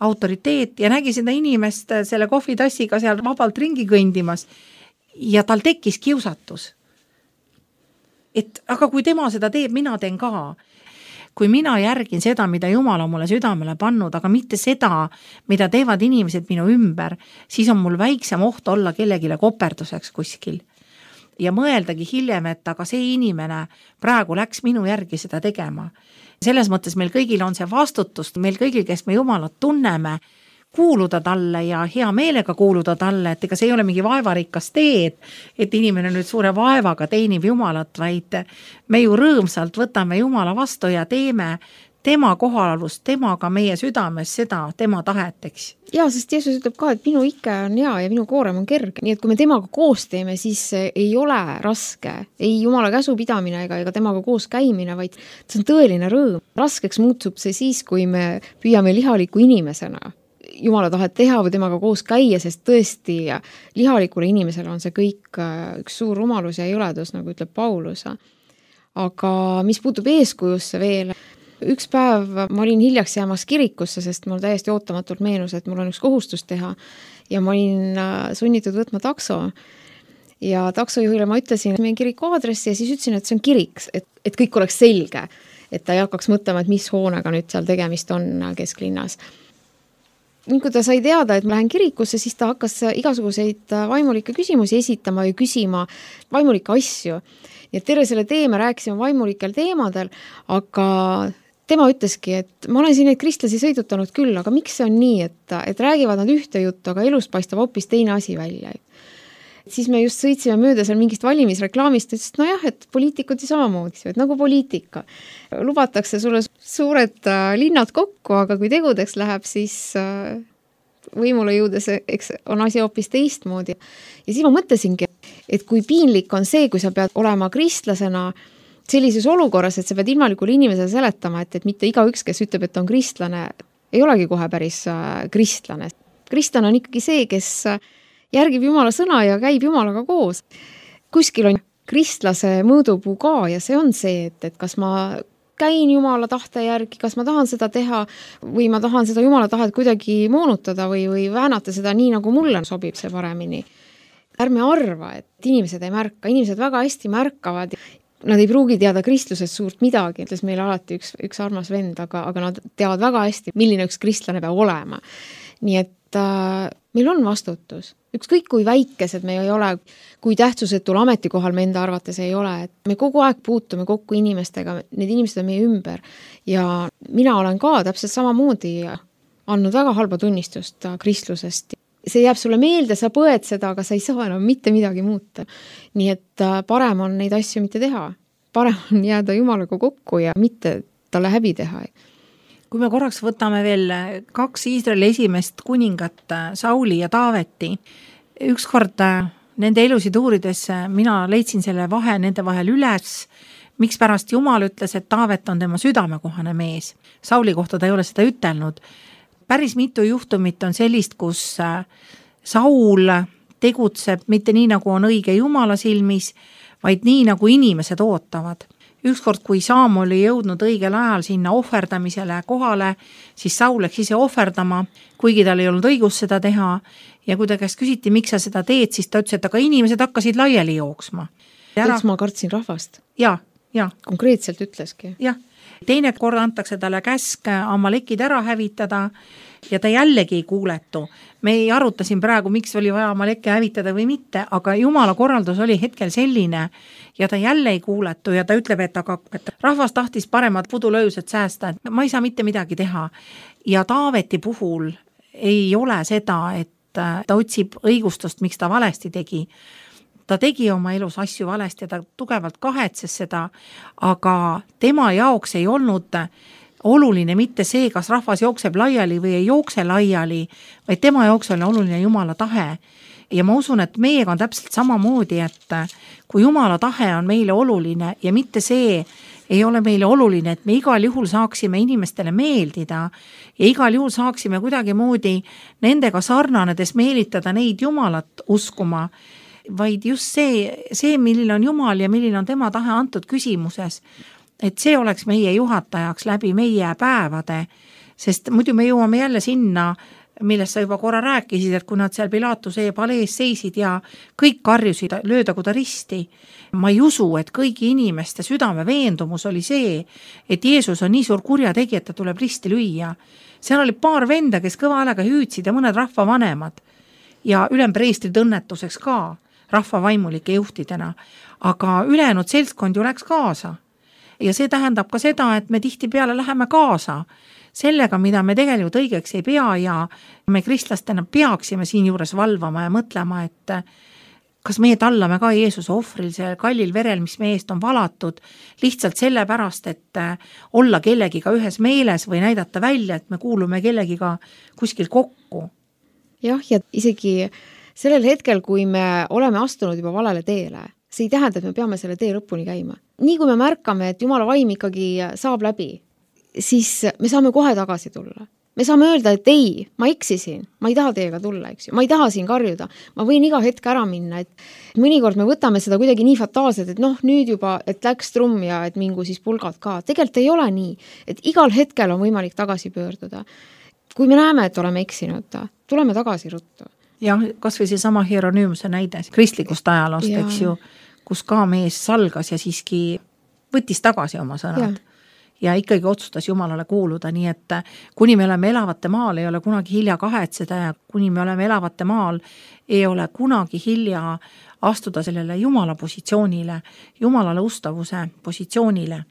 autoriteet ja nägi seda inimest selle kohvitassiga seal vabalt ringi kõndimas ja tal tekkis kiusatus. Et aga kui tema seda teeb, mina teen ka. kui mina järgin seda, mida Jumal on mulle südamele pannud, aga mitte seda, mida teevad inimesed minu ümber, siis on mul väiksem oht olla kellegile koperduseks kuskil. Ja mõeldagi hiljem, et aga see inimene praegu läks minu järgi seda tegema. Selles mõttes meil kõigil on see vastutus, meil kõigil, kes me Jumalat tunneme, kuuluda talle ja hea meelega kuuluda talle, et ega see ei ole mingi vaevarikas teed, et inimene nüüd suure vaevaga teenib Jumalat, vaid me ju rõõmsalt võtame Jumala vastu ja teeme tema kohalolust, temaga meie südames seda, tema tahet, eks. Ja, sest Jeesus ütleb ka, et minu ike on hea ja minu koorem on kerge. Nii et kui me temaga koos teeme, siis ei ole raske, ei Jumala käsu pidamine ega temaga koos käimine, vaid see on tõeline rõõm. Raskeks muutub see siis, kui me püüame lihaliku inimesena Jumala tahet teha või temaga koos käia, sest tõesti lihalikule inimesele on see kõik üks suur rumalus ja jõledus, nagu ütleb Paulus. Aga mis puutub eeskujusse veel, üks päev ma olin hiljaks jäämas kirikusse, sest mul täiesti ootamatult meenus, et mul on üks kohustus teha ja ma olin sunnitud võtma takso. Ja taksojuhile ma ütlesin meie kiriku aadressi ja siis ütlesin, et see on kirik, et kõik oleks selge, et ta ei hakkaks mõtlema, et mis hoonega nüüd seal tegemist on kesklinnas. Kui ta sai teada, et ma lähen kirikusse, siis ta hakkas igasuguseid vaimulikke küsimusi esitama ja küsima vaimulikke asju. Ja terve selle tee me rääkisime vaimulikel teemadel, aga tema ütleski, et ma olen siin neid kristlasi sõidutanud küll, aga miks see on nii, et räägivad nad ühte juttu, aga elus paistab hoopis teine asi välja. Siis me just sõitsime mööda seal mingist valimisreklaamist, et nojah, et poliitikud ju samamoodi, et nagu poliitika. Lubatakse sulle suured linnad kokku, aga kui tegudeks läheb, siis võimule jõudes eks on asi hoopis teistmoodi. Ja siis ma mõtlesingi, et kui piinlik on see, kui sa pead olema kristlasena sellises olukorras, et sa pead ilmalikule inimesele seletama, et mitte igaüks, kes ütleb, et on kristlane, ei olegi kohe päris kristlane. Kristlane on ikkagi see, kes järgib Jumala sõna ja käib Jumalaga koos. Kuskil on kristlase mõõdupuu ka ja see on see, et kas ma käin Jumala tahte järgi, kas ma tahan seda teha või ma tahan seda Jumala tahet kuidagi moonutada või väänata seda nii, nagu mulle sobib see paremini. Ärme arva, et inimesed ei märka, inimesed väga hästi märkavad. Nad ei pruugi teada kristlusest suurt midagi, ütles meile alati üks armas vend, aga nad teavad väga hästi, milline üks kristlane peab olema. Nii et meil on vastutus. Ükskõik kui väikesed me ei ole, kui tähtsusetul ametikohal me enda arvates ei ole, et me kogu aeg puutume kokku inimestega, need inimesed on meie ümber ja mina olen ka täpselt samamoodi andnud väga halba tunnistust kristlusest. See jääb sulle meelde, sa põed seda, aga sa ei saa enam mitte midagi muuta. Nii et parem on neid asju mitte teha. Parem on jääda Jumalaga kokku ja mitte talle häbi teha. Kui me korraks võtame veel 2 Iisraeli esimest kuningat, Sauli ja Taaveti, ükskord nende elusid uurides mina leidsin selle vahe nende vahel üles, miks pärast Jumal ütles, et Taavet on tema südamekohane mees. Sauli kohta ta ei ole seda ütelnud. Päris mitu juhtumit on sellist, kus Saul tegutseb mitte nii, nagu on õige Jumala silmis, vaid nii, nagu inimesed ootavad. Ükskord, kui Saam oli jõudnud õigel ajal sinna ohverdamisele kohale, siis Saul läks ise ohverdama, kuigi tal ei olnud õigus seda teha. Ja kui ta käest küsiti, miks sa seda teed, siis ta ütles, et aga inimesed hakkasid laiali jooksma. Eks ma kartsin rahvast. Ja. Konkreetselt ütleski. Jah. Teine kord antakse talle käsk Amalekid ära hävitada ja ta jällegi ei kuuletu. Me ei aruta siin praegu, miks oli vaja Amaleki hävitada või mitte, aga Jumala korraldus oli hetkel selline ja ta jälle ei kuuletu ja ta ütleb, et rahvas tahtis paremad pudulöösed säästa, et ma ei saa mitte midagi teha. Ja Taaveti puhul ei ole seda, et ta otsib õigustust, miks ta valesti tegi. Ta tegi oma elus asju valesti ja ta tugevalt kahetses seda, aga tema jaoks ei olnud oluline mitte see, kas rahvas jookseb laiali või ei jookse laiali, vaid tema jaoks oli oluline Jumala tahe. Ja ma usun, et meiega on täpselt samamoodi, et kui Jumala tahe on meile oluline ja mitte see ei ole meile oluline, et me igal juhul saaksime inimestele meeldida ja igal juhul saaksime kuidagi moodi nendega sarnanedes meelitada neid Jumalat uskuma, vaid just see, milline on Jumal ja milline on tema tahe antud küsimuses, et see oleks meie juhatajaks läbi meie päevade, sest muidu me jõuame jälle sinna, millest sa juba korra rääkisid, et kui nad seal Pilatuse palees seisid ja kõik karjusid, löödagu ta risti. Ma ei usu, et kõigi inimeste südame veendumus oli see, et Jeesus on nii suur kurjategija, et ta tuleb risti lüüa. Seal oli paar venda, kes kõva häälega hüüdsid ja mõned rahvavanemad ja ülempreestrid õnnetuseks ka rahvavaimulike juhtidena, aga ülejäänud seltskond ju läks kaasa. Ja see tähendab ka seda, et me tihtipeale läheme kaasa sellega, mida me tegelikult õigeks ei pea ja me kristlastena peaksime siin juures valvama ja mõtlema, et kas meie tallame ka Jeesuse ohvril see kallil verel, mis meie eest on valatud, lihtsalt sellepärast, et olla kellegiga ühes meeles või näidata välja, et me kuulume kellegiga kuskil kokku. Jah, ja isegi sellel hetkel, kui me oleme astunud juba valele teele, see ei tähenda, et me peame selle tee lõpuni käima. Nii kui me märkame, et Jumala vaim ikkagi saab läbi, siis me saame kohe tagasi tulla. Me saame öelda, et ei, ma eksisin, ma ei taha teiega tulla, eks ju. Ma ei taha siin karjuda, ma võin iga hetk ära minna, et mõnikord me võtame seda kuidagi nii fataalselt, et nüüd juba, et läks trumm ja et mingu siis pulgad ka. Tegelikult ei ole nii, et igal hetkel on võimalik tagasi pöörduda. Kui me näeme, et oleme eksinud, tuleme tagasi ruttu. Ja kas või see sama Hieronymuse näide kristlikust ajaloost, eks ju, kus ka mees salgas ja siiski võttis tagasi oma sõnad. Ja ikkagi otsustas Jumalale kuuluda, nii et kuni me oleme elavate maal, ei ole kunagi hilja kahetseda ja kuni me oleme elavate maal, ei ole kunagi hilja astuda sellele Jumala positsioonile, Jumalale ustavuse positsioonile.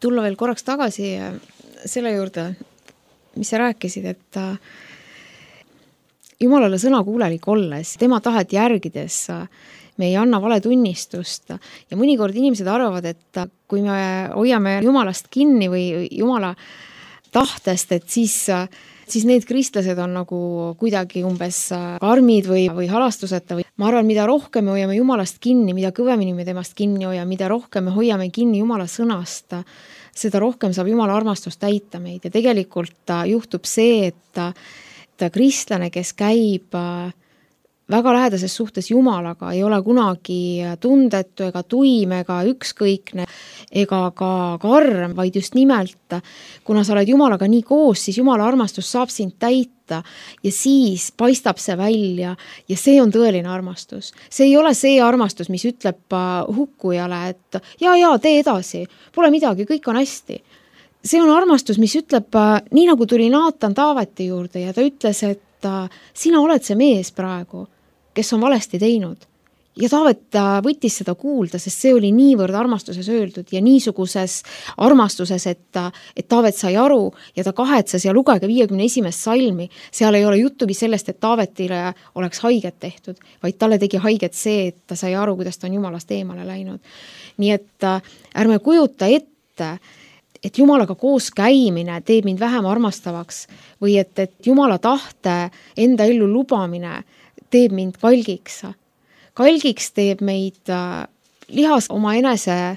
tulla veel korraks tagasi selle juurde, mis sa rääkisid, et Jumalale sõna kuulelik olles, tema tahet järgides me ei anna vale tunnistust ja mõnikord inimesed arvavad, et kui me hoiame Jumalast kinni või Jumala tahtest, et siis siis need kristlased on nagu kuidagi umbes karmid või halastuseta või ma arvan, mida rohkem me hoiame Jumalast kinni, mida kõvemini me temast kinni hoiame, mida rohkem me hoiame kinni Jumala sõnast, seda rohkem saab Jumala armastust täita meid ja tegelikult juhtub see, et kristlane, kes käib väga lähedases suhtes Jumalaga, ei ole kunagi tundetu ega tuim ega ükskõikne ega ka karm, vaid just nimelt, kuna sa oled Jumalaga nii koos, siis Jumala armastus saab sind täita ja siis paistab see välja ja see on tõeline armastus. See ei ole see armastus, mis ütleb hukkujale, et ja, tee edasi, pole midagi, kõik on hästi. See on armastus, mis ütleb, nii nagu tuli Naatan Taaveti juurde ja ta ütles, et sina oled see mees praegu, kes on valesti teinud. Ja Taavet võttis seda kuulda, sest see oli niivõrd armastuses öeldud ja niisuguses armastuses, et Taavet sai aru ja ta kahetsas ja lugege 51. salmi. Seal ei ole juttugi sellest, et Taavetile oleks haiget tehtud, vaid talle tegi haiget see, et ta sai aru, kuidas ta on Jumalast eemale läinud. Nii et ärme kujuta ette, et Jumalaga koos käimine teeb mind vähem armastavaks või et Jumala tahte enda ellu lubamine teeb mind kalgiks. Kalgiks teeb meid lihas oma enese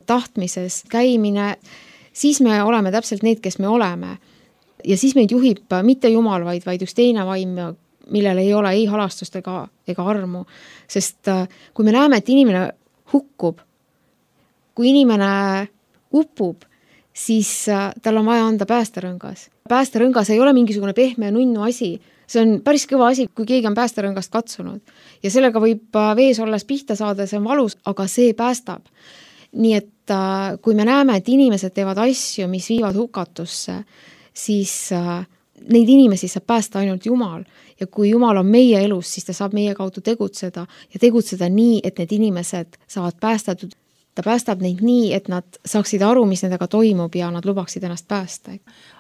tahtmises käimine, siis me oleme täpselt need, kes me oleme. Ja siis meid juhib mitte Jumal, vaid üks teine vaim, millel ei ole ei halastust ega armu. Sest kui me näeme, et inimene hukkub, kui inimene upub, siis tal on vaja anda päästerõngas. Päästerõngas ei ole mingisugune pehme ja nunnu asi. See on päris kõva asi, kui keegi on päästerõngast katsunud. Ja sellega võib vees olles pihta saada, see on valus, aga see päästab. Nii et kui me näeme, et inimesed teevad asju, mis viivad hukatusse, siis neid inimesi saab päästa ainult Jumal. Ja kui Jumal on meie elus, siis ta saab meie kaudu tegutseda ja tegutseda nii, et need inimesed saavad päästatud. Ta päästab neid nii, et nad saaksid aru, mis nendega toimub ja nad lubaksid ennast päästa.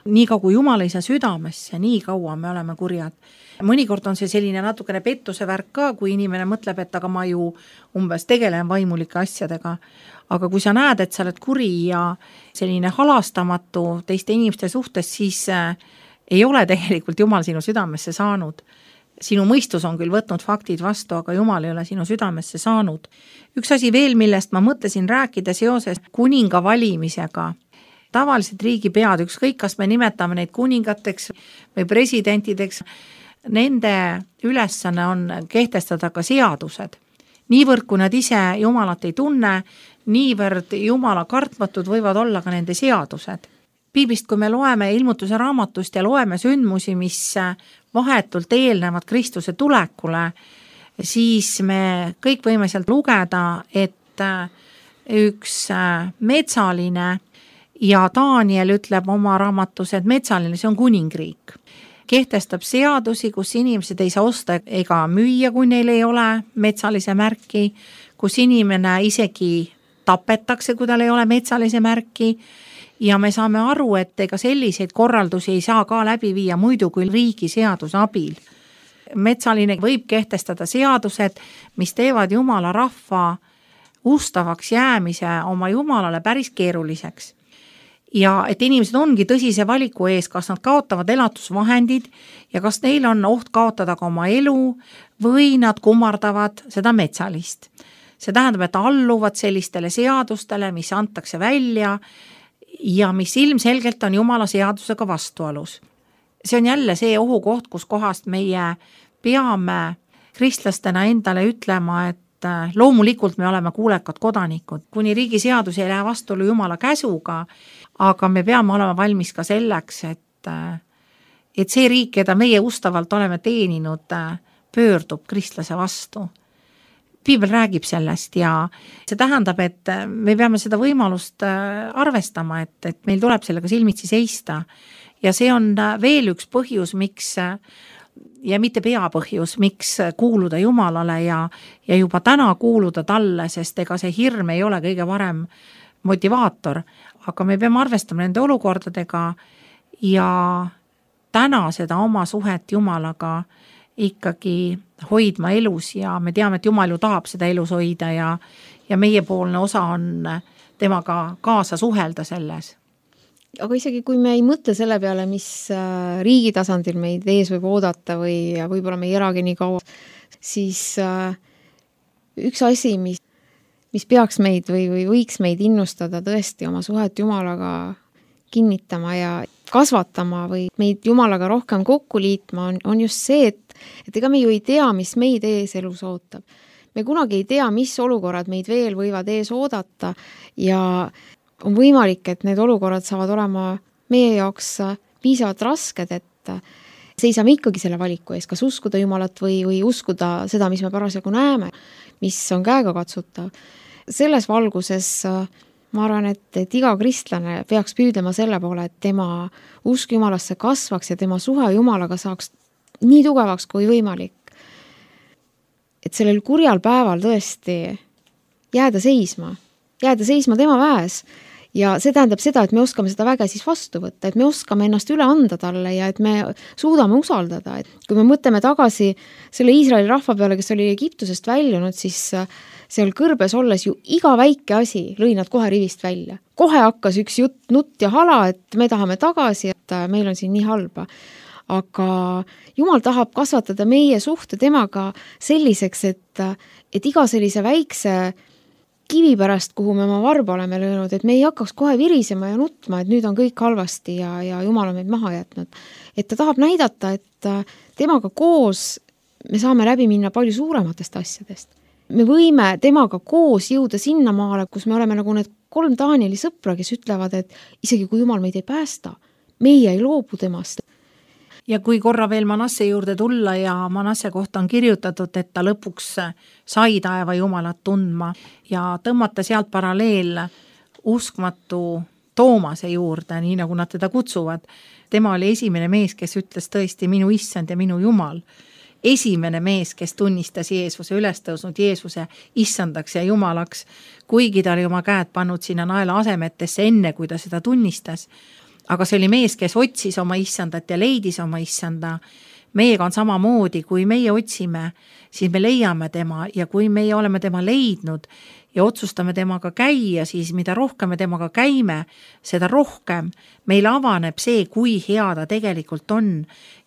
Nii kui Jumal ei saa südamesse, nii kaua me oleme kurjad. Mõnikord on see selline natukene pettuse värk ka, kui inimene mõtleb, et aga ma ju umbes tegelen vaimulike asjadega. Aga kui sa näed, et sa oled kuri ja selline halastamatu teiste inimeste suhtes, siis ei ole tegelikult Jumal sinu südamesse saanud. Sinu mõistus on küll võtnud faktid vastu, aga Jumal ei ole sinu südamesse saanud. Üks asi veel, millest ma mõtlesin rääkida seoses kuninga valimisega. Tavaliselt riigipead, ükskõik kas me nimetame neid kuningateks või presidentideks, nende ülesanne on kehtestada ka seadused. Niivõrd, kui nad ise Jumalat ei tunne, niivõrd Jumala kartmatud võivad olla ka nende seadused. Piiblist, kui me loeme ilmutuse raamatust ja loeme sündmusi, mis vahetult eelnevad Kristuse tulekule, siis me kõik võime sealt lugeda, et üks metsaline ja Daniel ütleb oma raamatus, et metsaline, see on kuningriik. Kehtestab seadusi, kus inimesed ei saa osta ega müüa, kui neil ei ole metsalise märki, kus inimene isegi tapetakse, kui tal ei ole metsalise märki. Ja me saame aru, et ega selliseid korraldusi ei saa ka läbi viia muidu kui riigi seaduse abil. Metsaline võib kehtestada seadused, mis teevad Jumala rahva ustavaks jäämise oma Jumalale päris keeruliseks. Ja et inimesed ongi tõsise valiku ees, kas nad kaotavad elatusvahendid ja kas neil on oht kaotada ka oma elu või nad kummardavad seda metsalist. See tähendab, et alluvad sellistele seadustele, mis antakse välja ja mis ilmselgelt on Jumala seadusega vastuolus. See on jälle see ohukoht, kus kohast meie peame kristlastena endale ütlema, et loomulikult me oleme kuulekad kodanikud, kuni riigi seadus ei lähe vastuolu Jumala käsuga, aga me peame olema valmis ka selleks, et see riik, keda meie ustavalt oleme teeninud, pöördub kristlase vastu. Piibel räägib sellest ja see tähendab, et me peame seda võimalust arvestama, et meil tuleb sellega silmitsi seista. Ja see on veel üks põhjus, miks, ja mitte peapõhjus, miks kuuluda Jumalale ja juba täna kuuluda talle, sest ega see hirm ei ole kõige parem motivaator. Aga me peame arvestama nende olukordadega ja täna seda oma suhet Jumalaga ikkagi hoidma elus ja me teame, et Jumal ju tahab seda elus hoida ja meie poolne osa on temaga kaasa suhelda selles. aga isegi kui me ei mõtle selle peale, mis riigi tasandil meid ees võib oodata või võib-olla me ei elagi nii kaua, siis üks asi, mis peaks meid või võiks meid innustada tõesti oma suhet Jumalaga kinnitama ja kasvatama või meid Jumalaga rohkem kokku liitma, on just see, et ega me ju ei tea, mis meid ees elus ootab. Me kunagi ei tea, mis olukorrad meid veel võivad ees oodata ja on võimalik, et need olukorrad saavad olema meie jaoks piisavalt rasked, et seisame ikkagi selle valiku ees, kas uskuda Jumalat või uskuda seda, mis me parasjagu näeme, mis on käegakatsutav. Selles valguses ma arvan, et iga kristlane peaks püüdlema selle poole, et tema usk Jumalasse kasvaks ja tema suhe Jumalaga saaks nii tugevaks kui võimalik. Et sellel kurjal päeval tõesti jääda seisma tema väes. Ja see tähendab seda, et me oskame seda väge siis vastu võtta, et me oskame ennast üle anda talle ja et me suudame usaldada. Et kui me mõtleme tagasi selle Iisraeli rahva peale, kes oli Egiptusest väljunud, siis seal kõrbes olles ju iga väike asi lõi nad kohe rivist välja. Kohe hakkas üks nutt ja hala, et me tahame tagasi, et meil on siin nii halba. Aga Jumal tahab kasvatada meie suhte temaga selliseks, et iga sellise väikse kivi pärast, kuhu me oma varba oleme löönud, et me ei hakkaks kohe virisema ja nutma, et nüüd on kõik halvasti ja Jumal on meid maha jätnud. Et ta tahab näidata, et temaga koos me saame läbi minna palju suurematest asjadest. Me võime temaga koos jõuda sinna maale, kus me oleme nagu need 3 Danieli sõpra, kes ütlevad, et isegi kui Jumal meid ei päästa, meie ei loobu temast. Ja kui korra veel Manasse juurde tulla ja Manasse kohta on kirjutatud, et ta lõpuks sai taeva Jumalat tundma ja tõmmata sealt paralleel uskmatu Toomase juurde, nii nagu nad teda kutsuvad. Tema oli esimene mees, kes ütles tõesti minu issand ja minu Jumal. Esimene mees, kes tunnistas Jeesuse, ülestõusnud Jeesuse issandaks ja Jumalaks, kuigi ta oli oma käed pannud sinna naela asemetesse enne, kui ta seda tunnistas. Aga see oli mees, kes otsis oma issandat ja leidis oma issanda. Meiega on samamoodi, kui meie otsime, siis me leiame tema ja kui meie oleme tema leidnud ja otsustame temaga käia, siis mida rohkem me temaga käime, seda rohkem meil avaneb see, kui hea ta tegelikult on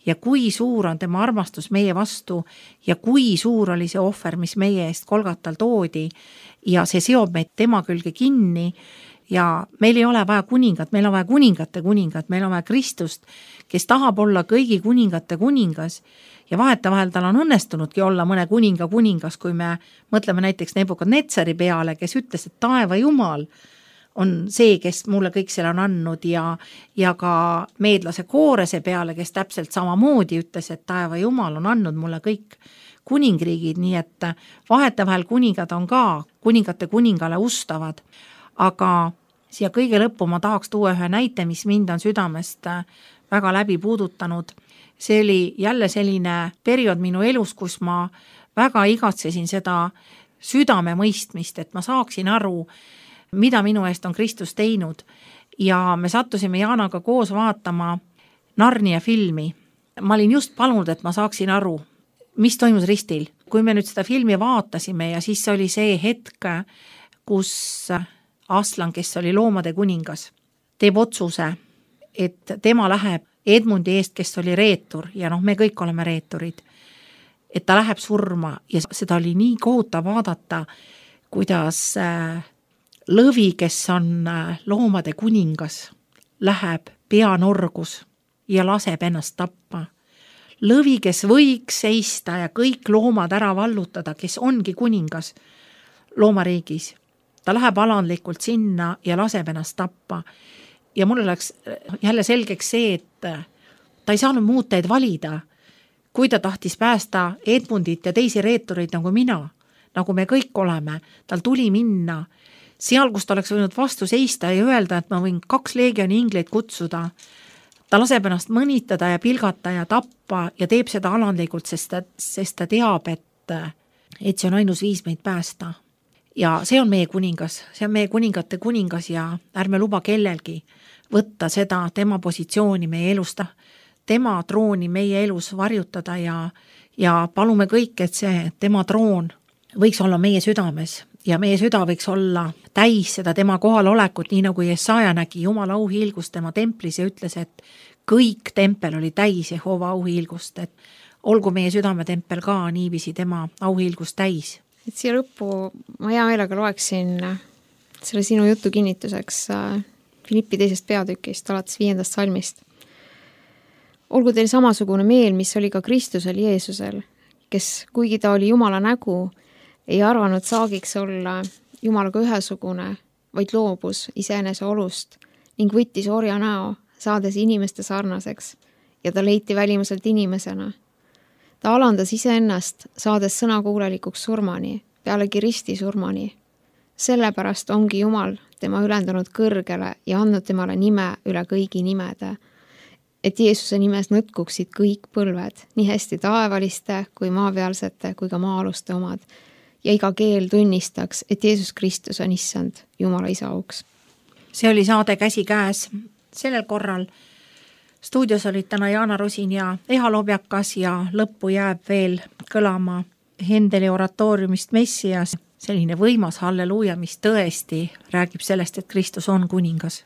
ja kui suur on tema armastus meie vastu ja kui suur oli see ohver, mis meie eest Golgatal toodi ja see seob meid tema külge kinni. Ja meil ei ole vaja kuningat, meil on vaja kuningate kuningat, meil on vaja Kristust, kes tahab olla kõigi kuningate kuningas ja vahetevahel tal on õnnestunudki olla mõne kuninga kuningas, kui me mõtleme näiteks Nebukadnetsari peale, kes ütles, et taeva Jumal on see, kes mulle kõik selle on andnud ja ka meedlase Koorese peale, kes täpselt samamoodi ütles, et taeva Jumal on andnud mulle kõik kuningriigid, nii et vahetevahel kuningad on ka kuningate kuningale ustavad. Aga siia kõige lõppu ma tahaks tuua ühe näite, mis mind on südamest väga läbi puudutanud. See oli jälle selline periood minu elus, kus ma väga igatsesin seda südame mõistmist, et ma saaksin aru, mida minu eest on Kristus teinud. Ja me sattusime Jaanaga koos vaatama Narnia filmi. Ma olin just palunud, et ma saaksin aru, mis toimus ristil. Kui me nüüd seda filmi vaatasime ja siis oli see hetk, kus Aslan, kes oli loomade kuningas, teeb otsuse, et tema läheb Edmundi eest, kes oli reetur ja me kõik oleme reeturid, et ta läheb surma ja seda oli nii kohutav vaadata, kuidas lõvi, kes on loomade kuningas, läheb peanorgus ja laseb ennast tappa. Lõvi, kes võiks seista ja kõik loomad ära vallutada, kes ongi kuningas loomariigis, ta läheb alandlikult sinna ja laseb ennast tappa. Ja mul oleks jälle selgeks see, et ta ei saanud muud teed valida, kui ta tahtis päästa Edmundit ja teisi reetureid nagu mina, nagu me kõik oleme. Tal tuli minna seal, kus ta oleks võinud vastu seista ja öelda, et ma võin 2 leegioni ingleid kutsuda. Ta laseb ennast mõnitada ja pilgata ja tappa ja teeb seda alandlikult, sest ta teab, et see on ainus viis meid päästa. Ja see on meie kuningas, see on meie kuningate kuningas ja ärme luba kellelgi võtta seda tema positsiooni meie elusta, tema trooni meie elus varjutada ja palume kõik, et see tema troon võiks olla meie südames ja meie süda võiks olla täis seda tema kohalolekut, nii nagu Jesaja nägi Jumala auhiilgust tema templis ja ütles, et kõik tempel oli täis Jehova auhiilgust, et olgu meie südametempel ka niiviisi tema auhiilgust täis. Et siia lõppu ma hea meelega loeksin selle sinu jutu kinnituseks Filippi 2. peatükist, alates 5. salmist. Olgu teil samasugune meel, mis oli ka Kristusel Jeesusel, kes, kuigi ta oli Jumala nägu, ei arvanud saagiks olla Jumalaga ühesugune, vaid loobus iseenese olust ning võttis orja näo, saades inimeste sarnaseks, ja ta leiti välimuselt inimesena. Ta alandas iseennast, saades sõnakuulelikuks surmani, pealegi risti surmani. Sellepärast ongi Jumal tema ülendanud kõrgele ja andnud temale nime üle kõigi nimede, et Jeesuse nimes nõtkuksid kõik põlved, nii hästi taevaliste kui maapealsete kui ka maa-aluste omad, ja iga keel tunnistaks, et Jeesus Kristus on issand Jumala isa auks. See oli saade Käsikäes. Sellel korral stuudios olid täna Jaana Rusin ja Eha Lobjakas ja lõppu jääb veel kõlama Hendeli oratooriumist Messias, selline võimas halleluuja, mis tõesti räägib sellest, et Kristus on kuningas.